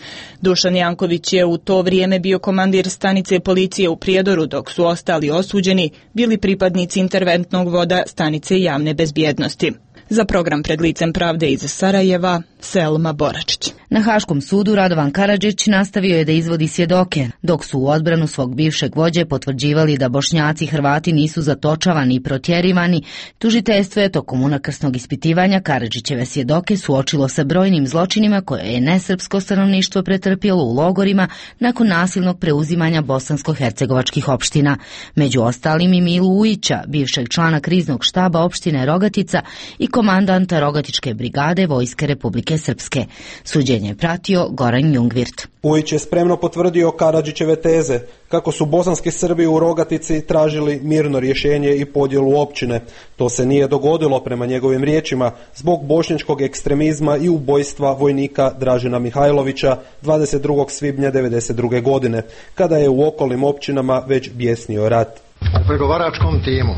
Dušan Janković je u to vrijeme bio komandir stanice policije u Prijedoru, dok su ostali osuđeni bili pripadnici interventnog voda stanice javne bezbjednosti. Za program Pred licem pravde iz Sarajeva, Selma Boračić. Na Haškom sudu Radovan Karadžić nastavio je da izvodi svjedoke, dok su u odbranu svog bivšeg vođe potvrđivali da Bošnjaci i Hrvati nisu zatočavani i protjerivani. Tužiteljstvo je tokom unakrsnog ispitivanja Karadžićeve svjedoke suočilo sa brojnim zločinima koje je nesrpsko stanovništvo pretrpjelo u logorima nakon nasilnog preuzimanja bosansko-hercegovačkih opština. Među ostalim i Milu Ujića, bivšeg člana kriznog štaba opštine Rogatica i komandanta Rogatičke brigade Vojske Republike Srpske. Suđenje je pratio Goran Jungvirt. Ujić je spremno potvrdio Karadžićeve teze kako su bosanski Srbi u Rogatici tražili mirno rješenje i podjelu općine. To se nije dogodilo, prema njegovim riječima, zbog bošnjačkog ekstremizma i ubojstva vojnika Dražena Mihajlovića 22. svibnja 1992. godine, kada je u okolnim općinama već bjesnio rat. U pregovaračkom timu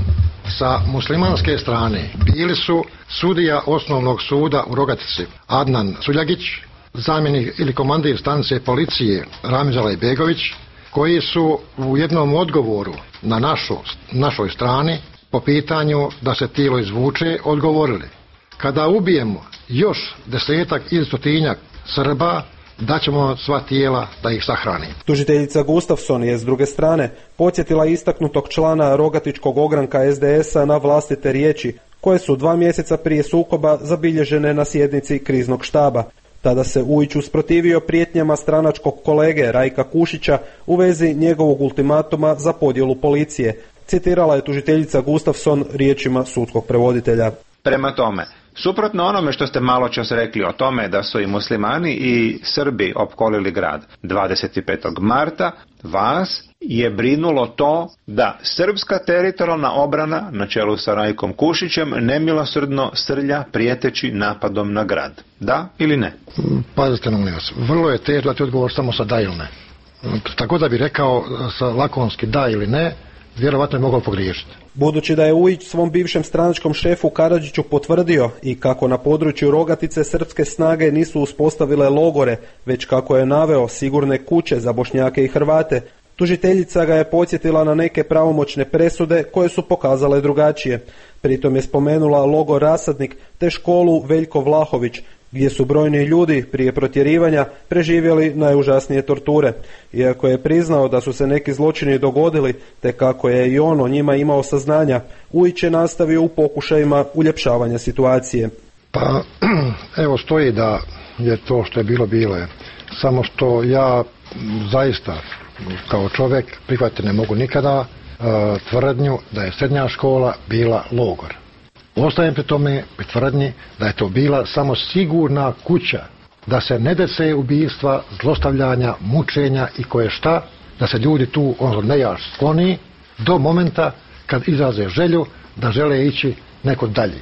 sa muslimanske strane bili su sudija osnovnog suda u Rogatici Adnan Suljagić, zamjenik ili komandir stanice policije Ramiz Alajbegović, koji su u jednom odgovoru na našoj strani po pitanju da se tijelo izvuče odgovorili: kada ubijemo još 10 ili 100 Srba, daćemo sva tijela da ih sahrani. Tužiteljica Gustafson je s druge strane podsjetila istaknutog člana Rogatičkog ogranka SDS-a na vlastite riječi, koje su 2 mjeseca prije sukoba zabilježene na sjednici kriznog štaba. Tada se Ujić usprotivio prijetnjama stranačkog kolege Rajka Kušića u vezi njegovog ultimatuma za podjelu policije. Citirala je tužiteljica Gustafson riječima sudskog prevoditelja. Prema tome, suprotno onome što ste maločas rekli o tome da su i muslimani i Srbi opkolili grad 25. marta, vas je brinulo to da srpska teritorijalna obrana na čelu sa Rajkom Kušićem nemilosrdno srlja prijeteći napadom na grad. Da ili ne? Pazite na vas, vrlo je teško dati odgovor samo sa da ili ne. Tako da bi rekao sa lakonski da ili ne, vjerovatno je mogao pogriješiti. Budući da je Ujić svom bivšem stranačkom šefu Karadžiću potvrdio i kako na području Rogatice srpske snage nisu uspostavile logore, već kako je naveo sigurne kuće za Bošnjake i Hrvate, tužiteljica ga je podsjetila na neke pravomoćne presude koje su pokazale drugačije. Pritom je spomenula logor Rasadnik te školu Veljko Vlahović, gdje su brojni ljudi prije protjerivanja preživjeli najužasnije torture. Iako je priznao da su se neki zločini dogodili, te kako je i on o njima imao saznanja, Ujić je nastavio u pokušajima uljepšavanja situacije. Pa, evo stoji da je to što je bilo je. Samo što ja zaista kao čovjek prihvatiti ne mogu nikada tvrdnju da je srednja škola bila logor. Ostajem pri tome, pri tvrdnji da je to bila samo sigurna kuća, da se ne dese ubijstva, zlostavljanja, mučenja i koje šta, da se ljudi tu nejaš skloni do momenta kad izraze želju da žele ići neko dalje.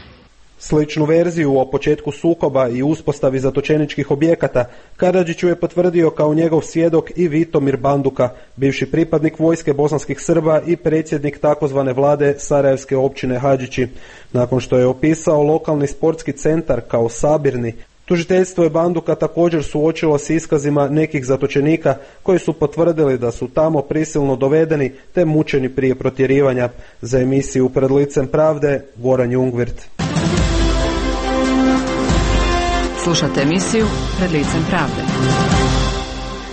Sličnu verziju o početku sukoba i uspostavi zatočeničkih objekata Karadžiću je potvrdio kao njegov svjedok i Vitomir Banduka, bivši pripadnik vojske bosanskih Srba i predsjednik takozvane vlade Sarajevske općine Hadžići. Nakon što je opisao lokalni sportski centar kao sabirni, Tužiteljstvo je Banduka također suočilo s iskazima nekih zatočenika koji su potvrdili da su tamo prisilno dovedeni te mučeni prije protjerivanja. Za emisiju Pred licem pravde, Goran Jungvirt. Slušate emisiju Pred licem pravde.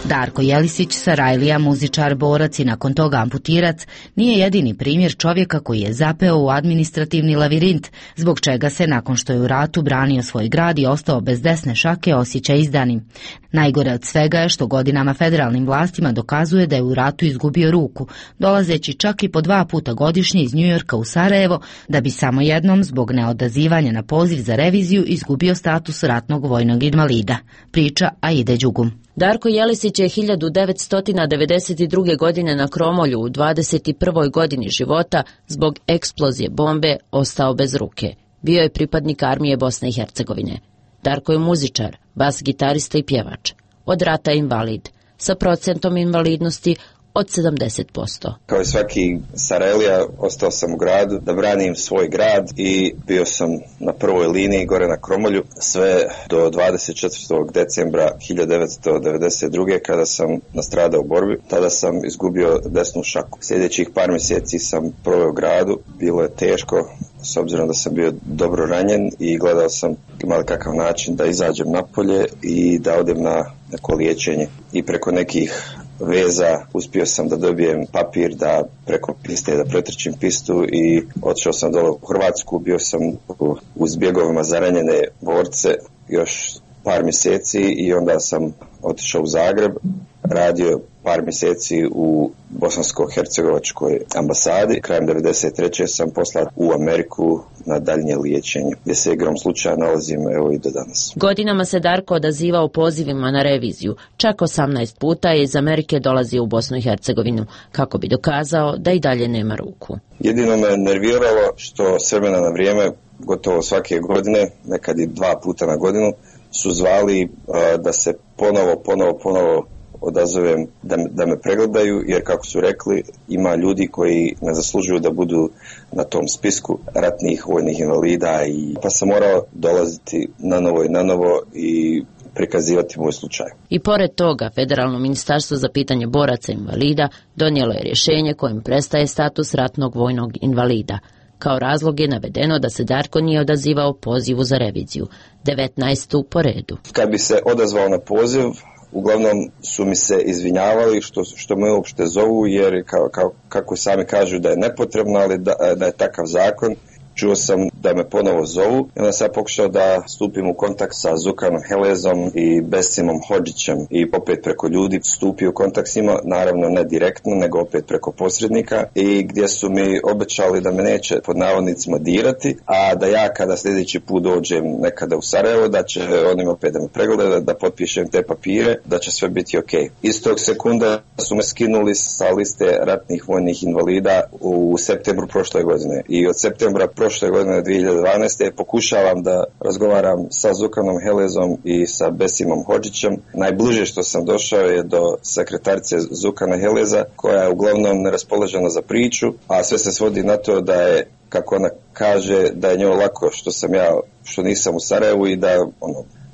Darko Jelisić, Sarajlija, muzičar, borac i nakon toga amputirac, nije jedini primjer čovjeka koji je zapeo u administrativni lavirint, zbog čega se, nakon što je u ratu branio svoj grad i ostao bez desne šake, osjeća izdanim. Najgore od svega je što godinama federalnim vlastima dokazuje da je u ratu izgubio ruku, dolazeći čak i po 2 puta godišnje iz Njujorka u Sarajevo, da bi samo jednom, zbog neodazivanja na poziv za reviziju, izgubio status ratnog vojnog invalida. Priča Aide Đugum. Darko Jelisić je 1992. godine na Kromolju u 21. godini života zbog eksplozije bombe ostao bez ruke. Bio je pripadnik armije Bosne i Hercegovine. Darko je muzičar, bas gitarista i pjevač. Od rata je invalid, sa procentom invalidnosti od 70%. Kao i svaki Sarajlija, ostao sam u gradu da branim svoj grad i bio sam na prvoj liniji gore na Kromolju sve do 24. decembra 1992. kada sam nastradao u borbi. Tada sam izgubio desnu šaku. Sljedećih par mjeseci sam proveo u gradu. Bilo je teško, s obzirom da sam bio dobro ranjen i gledao sam imali kakav način da izađem napolje i da odem na neko liječenje. I preko nekih veza uspio sam da dobijem papir da preko piste da pretrčim pistu i otišao sam dole u Hrvatsku. Bio sam u zbjegovima za ranjene borce još par mjeseci i onda sam otišao u Zagreb, radio par mjeseci u Bosansko-hercegovačkoj ambasadi. Krajem 1993. sam poslat u Ameriku na daljnje liječenje, gdje se igrom slučaja nalazim evo i do danas. Godinama se Darko odazivao pozivima na reviziju. Čak 18 puta je iz Amerike dolazio u Bosnu i Hercegovinu kako bi dokazao da i dalje nema ruku. Jedino me nerviralo što s vremena na vrijeme, gotovo svake godine, nekad i 2 puta na godinu, su zvali da se ponovo odazovem da me pregledaju, jer kako su rekli, ima ljudi koji ne zaslužuju da budu na tom spisku ratnih vojnih invalida, pa sam morao dolaziti na novo i prikazivati moj slučaj. I pored toga, Federalno ministarstvo za pitanje boraca invalida donijelo je rješenje kojim prestaje status ratnog vojnog invalida. Kao razlog je navedeno da se Darko nije odazivao pozivu za reviziju, 19. po redu. Kad bi se odazvao na poziv, uglavnom su mi se izvinjavali što me uopšte zovu, jer kako sami kažu da je nepotrebno, ali da je takav zakon. Čuo sam da me ponovo zovu i onda sam pokušao da stupim u kontakt sa Zukanom Helezom i Besimom Hodžićem i opet preko ljudi stupio u kontakt s njima, naravno ne direktno, nego opet preko posrednika, i gdje su mi obećali da me neće pod navodnicima dirati, a da ja kada sljedeći put dođem nekada u Sarajevo, da će oni opet da me pregledaju, da potpišem te papire, da će sve biti ok. Istog sekunda su me skinuli sa liste ratnih vojnih invalida u septembru prošle godine i od septembra prošle godine 2012. pokušavam da razgovaram sa Zukanom Helezom i sa Besimom Hodžićem. Najbliže što sam došao je do sekretarice Zukana Heleza, koja je uglavnom neraspoložena za priču, a sve se svodi na to da je, kako ona kaže, da je njoj lako što nisam u Sarajevu i da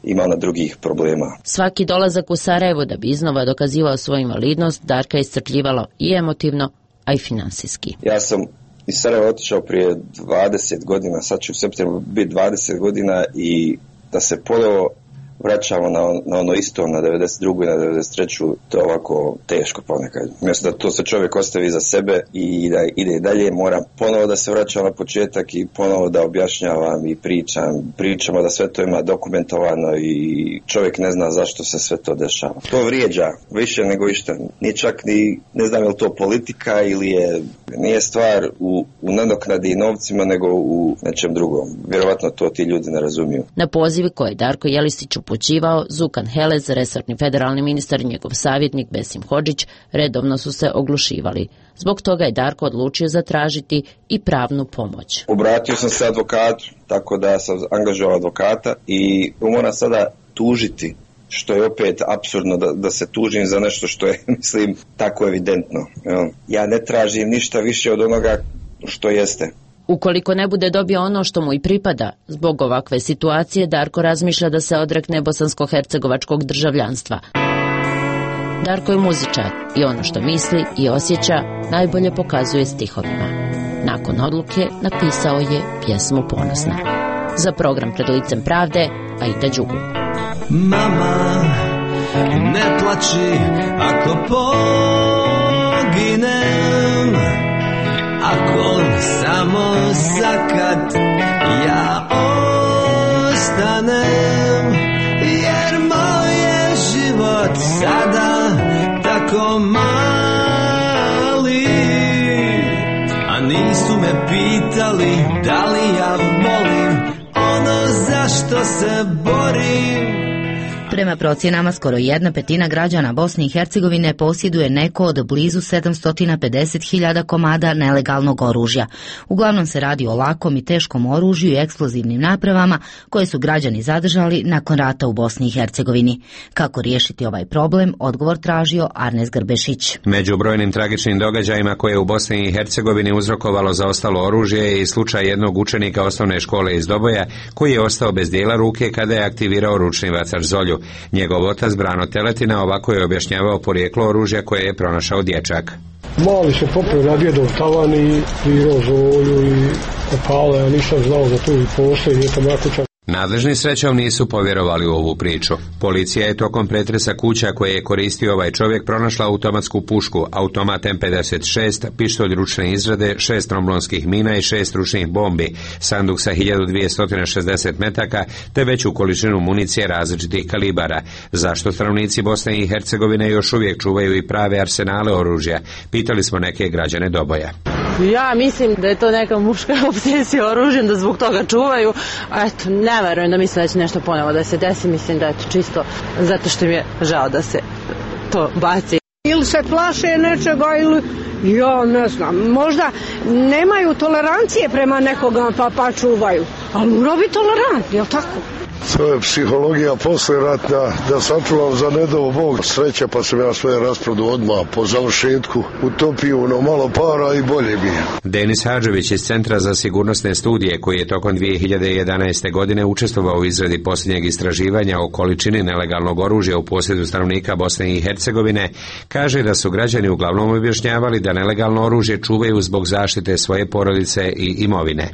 ima ona drugih problema. Svaki dolazak u Sarajevo da bi iznova dokazivao svoju invalidnost Darka iscrpljivalo i emotivno, a i finansijski. Ja sam iz Sarajeva otišao prije 20 godina, sad će u septembru biti 20 godina i da se ponovo vraćamo na ono isto, na 92. i na 93. to je ovako teško ponekad. Mjesto da to se čovjek ostavi za sebe i da ide i dalje, moram ponovo da se vraćam na početak i ponovo da objašnjavam i pričamo da sve to ima dokumentovano i čovjek ne zna zašto se sve to dešava. To vrijeđa više nego išta. Nije čak ni, ne znam je li to politika ili nije stvar u nadoknadi i novcima, nego u nečem drugom. Vjerovatno to ti ljudi ne razumiju. Na pozivi koje Darko Jelisić upućivao, Zukan Helez, resorni federalni ministar i njegov savjetnik Besim Hodžić redovno su se oglušivali. Zbog toga je Darko odlučio zatražiti i pravnu pomoć. Obratio sam se advokatu, tako da sam angažovao advokata i moram sada tužiti, što je opet apsurdno da se tužim za nešto što je, mislim, tako evidentno. Ja ne tražim ništa više od onoga što jeste. Ukoliko ne bude dobio ono što mu i pripada, zbog ovakve situacije Darko razmišlja da se odrekne bosansko-hercegovačkog državljanstva. Darko je muzičar i ono što misli i osjeća najbolje pokazuje stihovima. Nakon odluke napisao je pjesmu Ponosna. Za program Pred licem pravde, Aida Đugu. Mama, ne plači ako poginem, ako samo zakad ja ostanem, jer moj je život sada tako mali, a nisu me pitali da li ja volim ono za što se borim. Prema procjenama, skoro 1/5 građana Bosne i Hercegovine posjeduje neko od blizu 750.000 komada nelegalnog oružja. Uglavnom se radi o lakom i teškom oružju i eksplozivnim napravama koje su građani zadržali nakon rata u Bosni i Hercegovini. Kako riješiti ovaj problem, odgovor tražio Arnes Grbešić. Među brojnim tragičnim događajima koje je u Bosni i Hercegovini uzrokovalo zaostalo oružje je i slučaj jednog učenika osnovne škole iz Doboja koji je ostao bez dijela ruke kada je aktivirao ručni vacač Zolju. Njegov otac Brano Teletina ovako je objašnjavao porijeklo oružja koje je pronašao dječak. Mali se popeo na djedov tavan i virao Zolju i opale, ja nisam znao za to i postoji, nije to makuća. Nadležni srećom nisu povjerovali u ovu priču. Policija je tokom pretresa kuća koje je koristio ovaj čovjek pronašla automatsku pušku, automat M56, pištolj ručne izrade, 6 tromblonskih mina i 6 ručnih bombi, sanduk sa 1260 metaka te veću količinu municije različitih kalibara. Zašto stanovnici Bosne i Hercegovine još uvijek čuvaju i prave arsenale oružja? Pitali smo neke građane Doboja. Ja mislim da je to neka muška obsesija oružjem, da zbog toga čuvaju. Eto, ne verujem da misle da će nešto ponovo da se desi, mislim da je to čisto zato što mi je žao da se to baci. Ili se plaše nečega ili, ja ne znam, možda nemaju tolerancije prema nekoga pa čuvaju, ali mora biti tolerantni, jel tako? To je psihologija poslijeratna, da sačuvam za nedovo Bog sreća, pa sam ja svoje rasprodao odmah po završetku, utopio ono malo para i bolje bi. Denis Hadžević iz Centra za sigurnosne studije, koji je tokom 2011. godine učestvovao u izradi posljednjeg istraživanja o količini nelegalnog oružja u posjedu stanovnika Bosne i Hercegovine, kaže da su građani uglavnom objašnjavali da nelegalno oružje čuvaju zbog zaštite svoje porodice i imovine.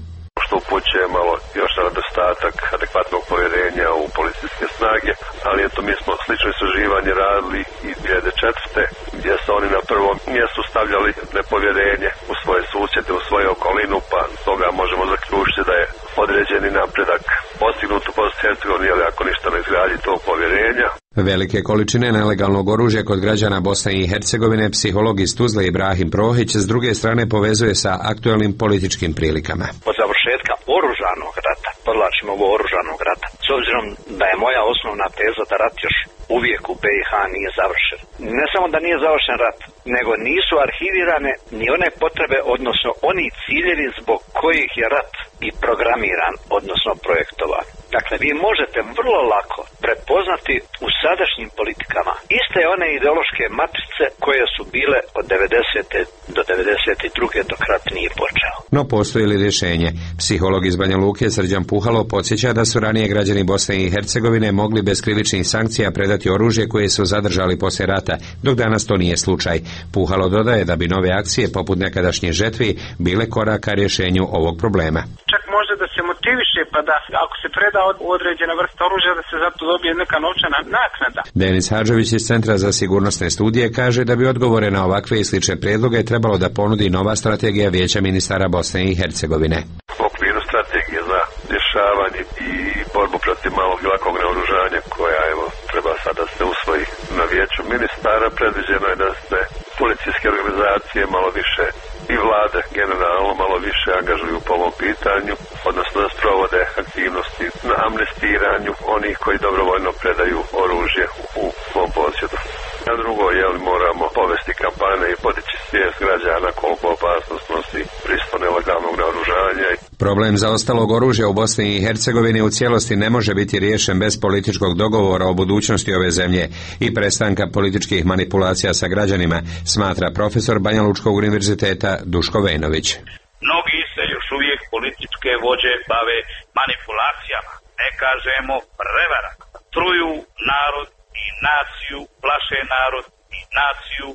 Što upućuje malo još na nedostatak adekvatnog povjerenja u policijske snage, ali eto mi smo slično istraživanje radili i 2004. gdje su oni na prvom mjestu stavljali nepovjerenje u svoje susjede, u svoju okolinu, pa toga možemo zaključiti da je određeni napredak postignut u Bosni i Hercegovini, ali ako ništa ne izgradi tog povjerenja. Velike količine nelegalnog oružja kod građana Bosne i Hercegovine psiholog iz Tuzle Ibrahim Prohić s druge strane povezuje sa aktualnim političkim prilikama. Od završetka oružanog rata, podlačimo ovo oružanog rata, s obzirom da je moja osnovna teza da rat još uvijek u BiH nije završen. Ne samo da nije završen rat, nego nisu arhivirane ni one potrebe, odnosno oni ciljevi zbog kojih je rat i programiran, odnosno projektovan. Dakle, vi možete vrlo lako prepoznati u sadašnjim politikama iste one ideološke matrice koje su bile od 90. do 92. dok rat nije počeo. No postoji li rješenje? Psiholog iz Banja Luke Srđan Puhalo podsjeća da su ranije građani Bosne i Hercegovine mogli bez krivičnih sankcija predati oružje koje su zadržali poslije rata, dok danas to nije slučaj. Puhalo dodaje da bi nove akcije poput nekadašnje žetvi bile koraka rješenju ovog problema. Čak može da se motiviše, pa da ako se preda određena vrsta oružja da se zato dobije neka novčana naknada. Denis Hadžević iz Centra za sigurnosne studije kaže da bi odgovore na ovakve i slične prijedloge trebalo da ponudi nova strategija Vijeća ministara Bosne i Hercegovine. U okviru strategije za rješavanje i borbu protiv malog i lakog naoružanja koja treba sada se usvoji na Vijeću ministara, predviđeno je da se policijske organizacije malo više i vlade generalno malo više angažuju po ovom pitanju, odnosno da sprovode aktivnosti na amnestiranju onih koji dobrovoljno predaju oružje u svom posjedu. A drugo, moramo povesti kampanje i podići svijest građana koliko opasnost nosi prisustvo nelegalnog naoružanja. Problem zaostalog oružja u Bosni i Hercegovini u cijelosti ne može biti riješen bez političkog dogovora o budućnosti ove zemlje i prestanka političkih manipulacija sa građanima, smatra profesor Banja Lučkog univerziteta Duško Vejnović. Mnogi se još uvijek političke vođe bave manipulacijama, ne kažemo prevara. Truju narod i naciju, plaše narod i naciju.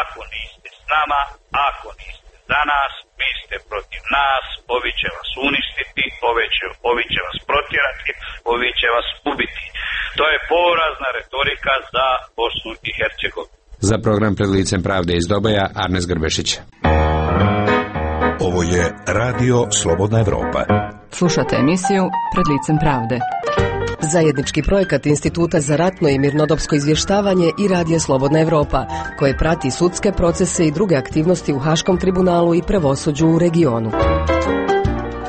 Ako niste s nama, ako niste za nas, vi ste protiv nas, ovi će vas uništiti, ovi će vas protjerati, ovi će vas ubiti. To je porazna retorika za Bosnu i Hercegovinu. Za program Pred licem pravde iz Doboja, Arnes Grbešić. Ovo je Radio Slobodna Evropa. Slušate emisiju Pred licem pravde. Zajednički projekat Instituta za ratno i mirnodopsko izvještavanje i Radija Slobodna Evropa, koje prati sudske procese i druge aktivnosti u Haškom tribunalu i pravosuđu u regionu.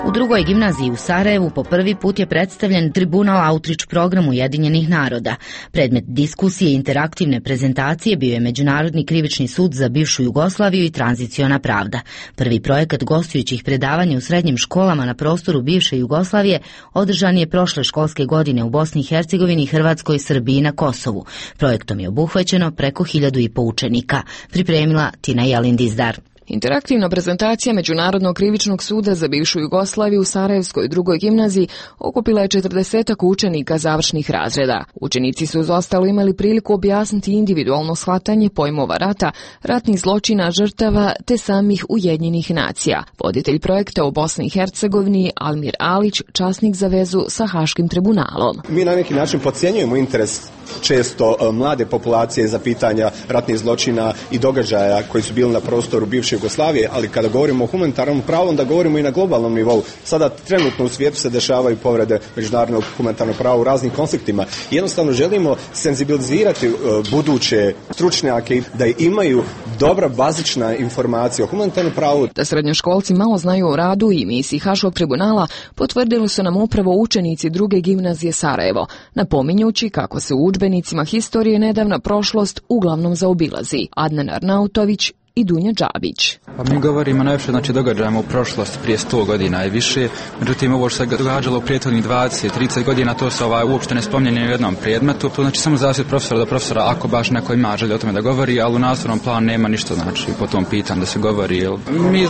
U drugoj gimnaziji u Sarajevu po prvi put je predstavljen Tribunal Outreach program Ujedinjenih naroda. Predmet diskusije i interaktivne prezentacije bio je Međunarodni krivični sud za bivšu Jugoslaviju i tranziciona pravda. Prvi projekat gostujućih predavanja u srednjim školama na prostoru bivše Jugoslavije održan je prošle školske godine u Bosni i Hercegovini, Hrvatskoj, Srbiji i na Kosovu. Projektom je obuhvaćeno preko 1500 učenika. Pripremila Tina Jelindizdar. Interaktivna prezentacija Međunarodnog krivičnog suda za bivšu Jugoslaviju u Sarajevskoj drugoj gimnaziji okupila je 40 učenika završnih razreda. Učenici su uz ostalo imali priliku objasniti individualno shvatanje pojmova rata, ratnih zločina, žrtava te samih Ujedinjenih nacija. Voditelj projekta u Bosni i Hercegovini Almir Alić, časnik za vezu sa Haškim tribunalom. Mi na neki način podcjenjujemo interes često mlade populacije za pitanja ratnih zločina i događaja koji su bili na prostoru bivše Jugoslavije, ali kada govorimo o humanitarnom pravu, onda govorimo i na globalnom nivou. Sada trenutno u svijetu se dešavaju povrede međunarodnog humanitarnog prava u raznim konfliktima. Jednostavno želimo senzibilizirati buduće stručnjake da imaju dobra bazična informacija o humanitarnom pravu. Da srednjoškolci malo znaju o radu i misiji Haškog tribunala potvrdili su nam upravo učenici druge gimnazije Sarajevo, napominjući kako se u udžbenicima historije nedavna prošlost uglavnom zaobilazi. Adnan Arnautović i Dunja Džabić. Pa mi govorimo najviše događajima u prošlosti prije 100 godina i više, međutim ovo što se događalo u prijethodnih 20-30 godina to se uopšte ne spominje u jednom predmetu, to znači samo zavisi od profesora do profesora ako baš neko ima želje o tome da govori, ali u nastavnom planu nema ništa po tom pitanju da se govori. Mi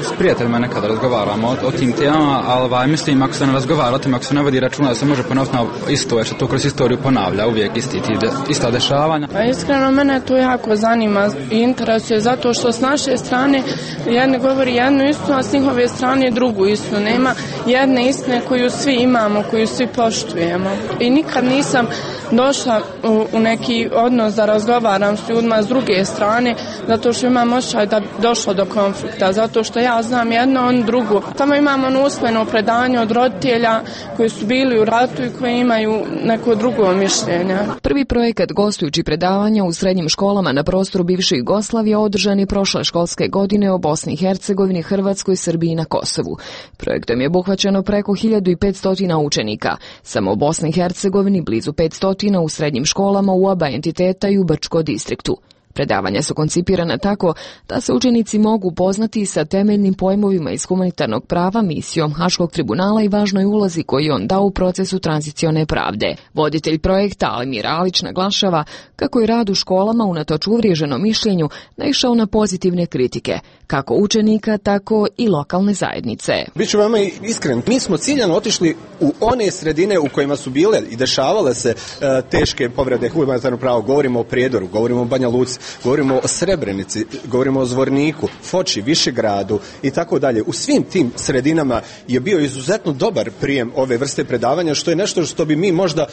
s prijateljima nekada razgovaramo o tim temama, ali mislim ako se ne razgovara o tome, ako se ne vodi računa da se može ponoviti isto, jer se to kroz istoriju ponavlja, uvijek ista dešavanja. Pa iskreno mene to jako zanima i interesuje zato što s naše strane jedne govori jednu istinu, a s njihove strane drugu istinu. Nema jedne istine koju svi imamo, koju svi poštujemo. I nikad nisam došla u neki odnos da razgovaram s ljudima s druge strane, zato što imam osjećaj da došlo do konflikta, zato što ja znam jedno, on drugu. Tamo imamo usmeno predanje od roditelja koji su bili u ratu i koji imaju neko drugo mišljenje. Prvi projekat gostujući predavanja u srednjim školama na prostoru bivše Jugoslavije održan je prošle školske godine u Bosni i Hercegovini, Hrvatskoj, Srbiji i na Kosovu. Projektom je obuhvaćeno preko 1500 učenika. Samo u Bosni i Hercegovini blizu 500 u srednjim školama u oba entiteta i u Brčko distriktu. Predavanja su koncipirana tako da se učenici mogu upoznati sa temeljnim pojmovima iz humanitarnog prava, misijom Haškog tribunala i važnoj ulozi koju on dao u procesu tranzicione pravde. Voditelj projekta Almir Alić naglašava kako je rad u školama unatoč uvriježenom mišljenju naišao na pozitivne kritike, kako učenika, tako i lokalne zajednice. Biću veoma iskren, mi smo ciljano otišli u one sredine u kojima su bile i dešavale se teške povrede humanitarnog prava. Govorimo o Prijedoru, govorimo o Banja Luci, govorimo o Srebrenici, govorimo o Zvorniku, Foči, Višegradu i tako dalje. U svim tim sredinama je bio izuzetno dobar prijem ove vrste predavanja, što je nešto što bi mi možda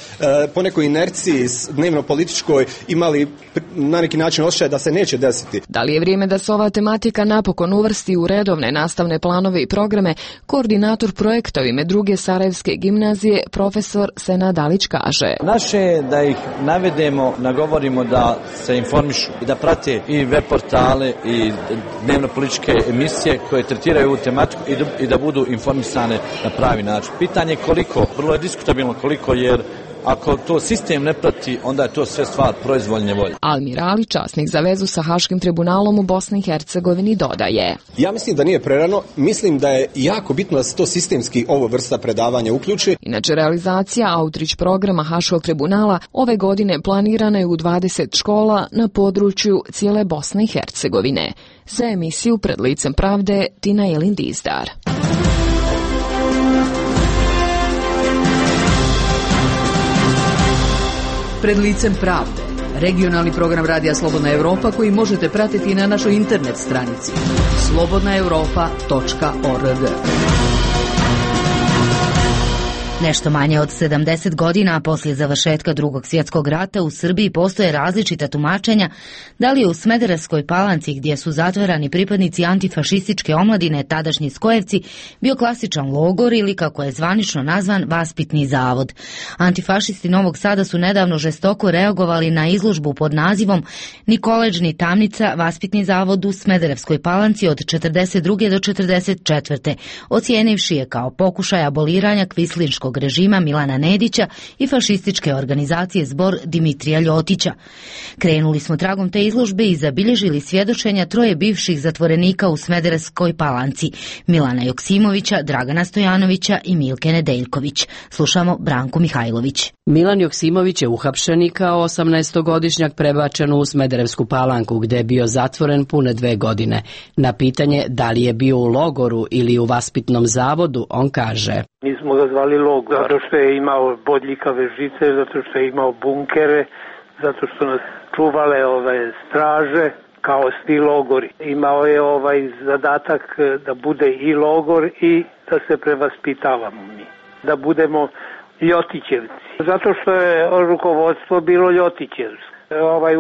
po nekoj inerciji dnevno-političkoj imali na neki način osjećaj da se neće desiti. Da li je vrijeme da se ova tematika napokon uvrsti u redovne nastavne planove i programe, koordinator projekta u ime druge Sarajevske gimnazije, profesor Senad Alić kaže. Naše je da ih navedemo, nagovorimo da se informišu i da prate i web portale i dnevno političke emisije koje tretiraju ovu tematiku i da budu informisane na pravi način. Pitanje je koliko, vrlo je diskutabilno koliko, jer ako to sistem ne prati, onda je to sve stvar proizvoljne volje. Almir Ali, časnik za vezu sa Haškim tribunalom u Bosni i Hercegovini, dodaje. Ja mislim da nije prerano, mislim da je jako bitno da se to sistemski ovo vrsta predavanja uključi. Inače, realizacija Outreach programa Haškog tribunala ove godine planirana je u 20 škola na području cijele Bosne i Hercegovine. Za emisiju Pred licem pravde, Tina Jelindizdar. Pred licem pravde. Regionalni program Radija Slobodna Evropa koji možete pratiti na našoj internet stranici slobodnaevropa.org. Nešto manje od 70 godina poslije završetka Drugog svjetskog rata u Srbiji postoje različita tumačenja da li je u Smederevskoj Palanci, gdje su zatvarani pripadnici antifašističke omladine, tadašnji Skojevci, bio klasičan logor ili, kako je zvanično nazvan, vaspitni zavod. Antifašisti Novog Sada su nedavno žestoko reagovali na izložbu pod nazivom Ni koledž ni tamnica, vaspitni zavod u Smederevskoj Palanci od 42. do 44. ocijenivši je kao pokušaj aboliranja kvislinškog režima Milana Nedića i fašističke organizacije Zbor Dimitrija Ljotića. Krenuli smo tragom te izložbe i zabilježili svjedočenja troje bivših zatvorenika u Smederevskoj Palanci, Milana Joksimovića, Dragana Stojanovića i Milke Nedeljković. Slušamo Branku Mihajlović. Milan Joksimović je uhapšen i kao 18-godišnjak prebačen u Smederevsku Palanku, gde je bio zatvoren pune 2 godine. Na pitanje da li je bio u logoru ili u vaspitnom zavodu, on kaže: Mi smo ga zvali logor, zato što je imao bodljikave žice, zato što je imao bunkere, zato što nas čuvale straže, kao svi logori. Imao je zadatak da bude i logor i da se prevaspitavamo mi, da budemo Ljotićevci, zato što je rukovodstvo bilo Ljotićevsko.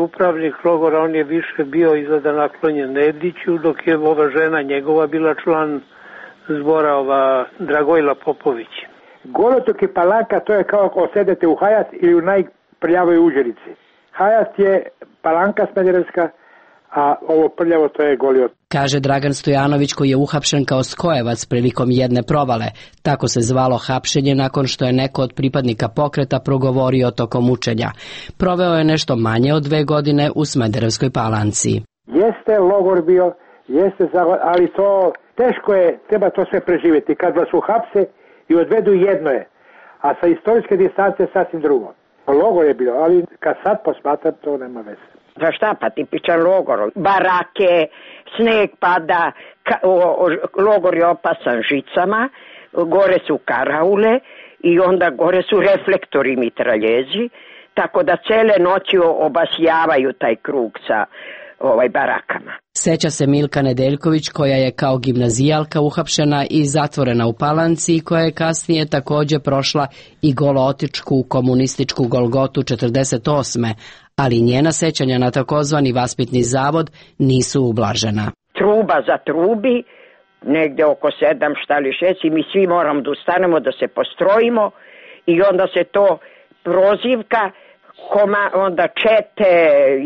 Upravnik logora, on je više bio izgleda naklonjen Nediću, dok je ova žena njegova bila član Zbora, Dragojla Popović. Golotok i Palanka, to je kao ako sedete u Hajat ili u najprljavoj Uđerici. Hajat je Palanka Smederevska, a ovo prljavo to je Goli otok. Kaže Dragan Stojanović, koji je uhapšen kao Skojevac prilikom jedne provale. Tako se zvalo hapšenje nakon što je neko od pripadnika pokreta progovorio tokom učenja. Proveo je nešto manje od 2 godine u Smederevskoj Palanci. Jeste logor bio, ali to teško je, treba to sve preživjeti. Kad vas uhapse i odvedu, jedno je, a sa istorijske distance sasvim drugo. Logor je bio, ali kad sad posmatram, to nema veze. Za šta pa tipičan logor? Barake, sneg pada, logor je opasan žicama, gore su karaule i onda gore su reflektori mitraljezi, tako da cele noći obasjavaju taj krug sa barakama. Seća se Milka Nedeljković, koja je kao gimnazijalka uhapšena i zatvorena u Palanci i koja je kasnije također prošla i golotičku komunističku Golgotu 48. ali njena sećanja na takozvani vaspitni zavod nisu ublažena. Truba za trubi, negde oko 7 šta li 6 i mi svi moramo da ustanemo, da se postrojimo i onda se to prozivka, onda čete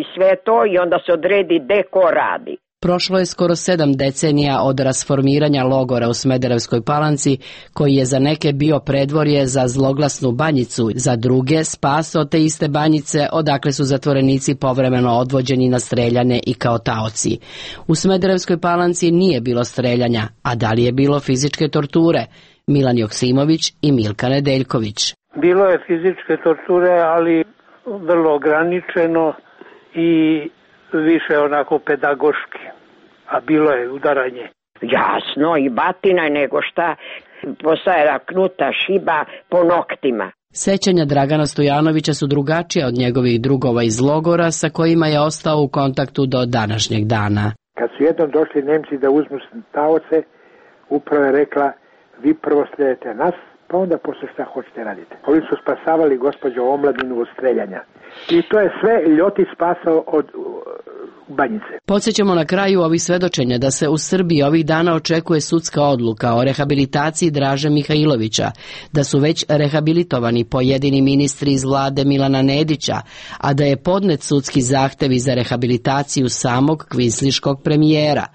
i sve to i onda se odredi gde ko radi. Prošlo je skoro 7 decenija od rasformiranja logora u Smederevskoj Palanci, koji je za neke bio predvorje za zloglasnu Banjicu, za druge spas od te iste Banjice, odakle su zatvorenici povremeno odvođeni na streljane i kao taoci. U Smederevskoj Palanci nije bilo streljanja, a da li je bilo fizičke torture? Milan Joksimović i Milka Nedeljković. Bilo je fizičke torture, ali vrlo ograničeno i više onako pedagoški, a bilo je udaranje. Jasno, i batina nego šta, postajala knuta šiba po noktima. Sećanja Dragana Stojanovića su drugačija od njegovih drugova iz logora sa kojima je ostao u kontaktu do današnjeg dana. Kad su jednom došli Nemci da uzmu taoce, upravo je rekla: vi prvo slijedite nas, pa onda posle šta hoćete raditi. Oni su spasavali gospođo omladinu od streljanja. I to je sve Ljotić spasao od Banjice. Podsjećamo na kraju ovih svedočenja da se u Srbiji ovih dana očekuje sudska odluka o rehabilitaciji Draže Mihajlovića, da su već rehabilitovani pojedini ministri iz vlade Milana Nedića, a da je podnet sudski zahtev za rehabilitaciju samog kvisliškog premijera.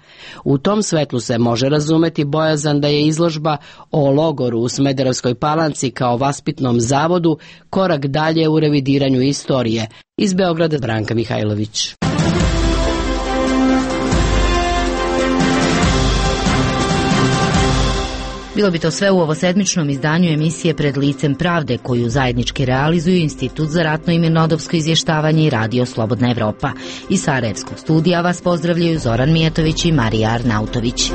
U tom svetlu se može razumeti bojazan da je izložba o logoru u Smederevskoj Palanci kao vaspitnom zavodu korak dalje u revidiranju istorije. Iz Beograda Branka Mihajlović. Bilo bi to sve u ovosedmičnom izdanju emisije Pred licem pravde, koju zajednički realizuju Institut za ratno i mirnodopsko izvještavanje i Radio Slobodna Evropa. Iz Sarajevskog studija vas pozdravljaju Zoran Mijatović i Marija Arnautović.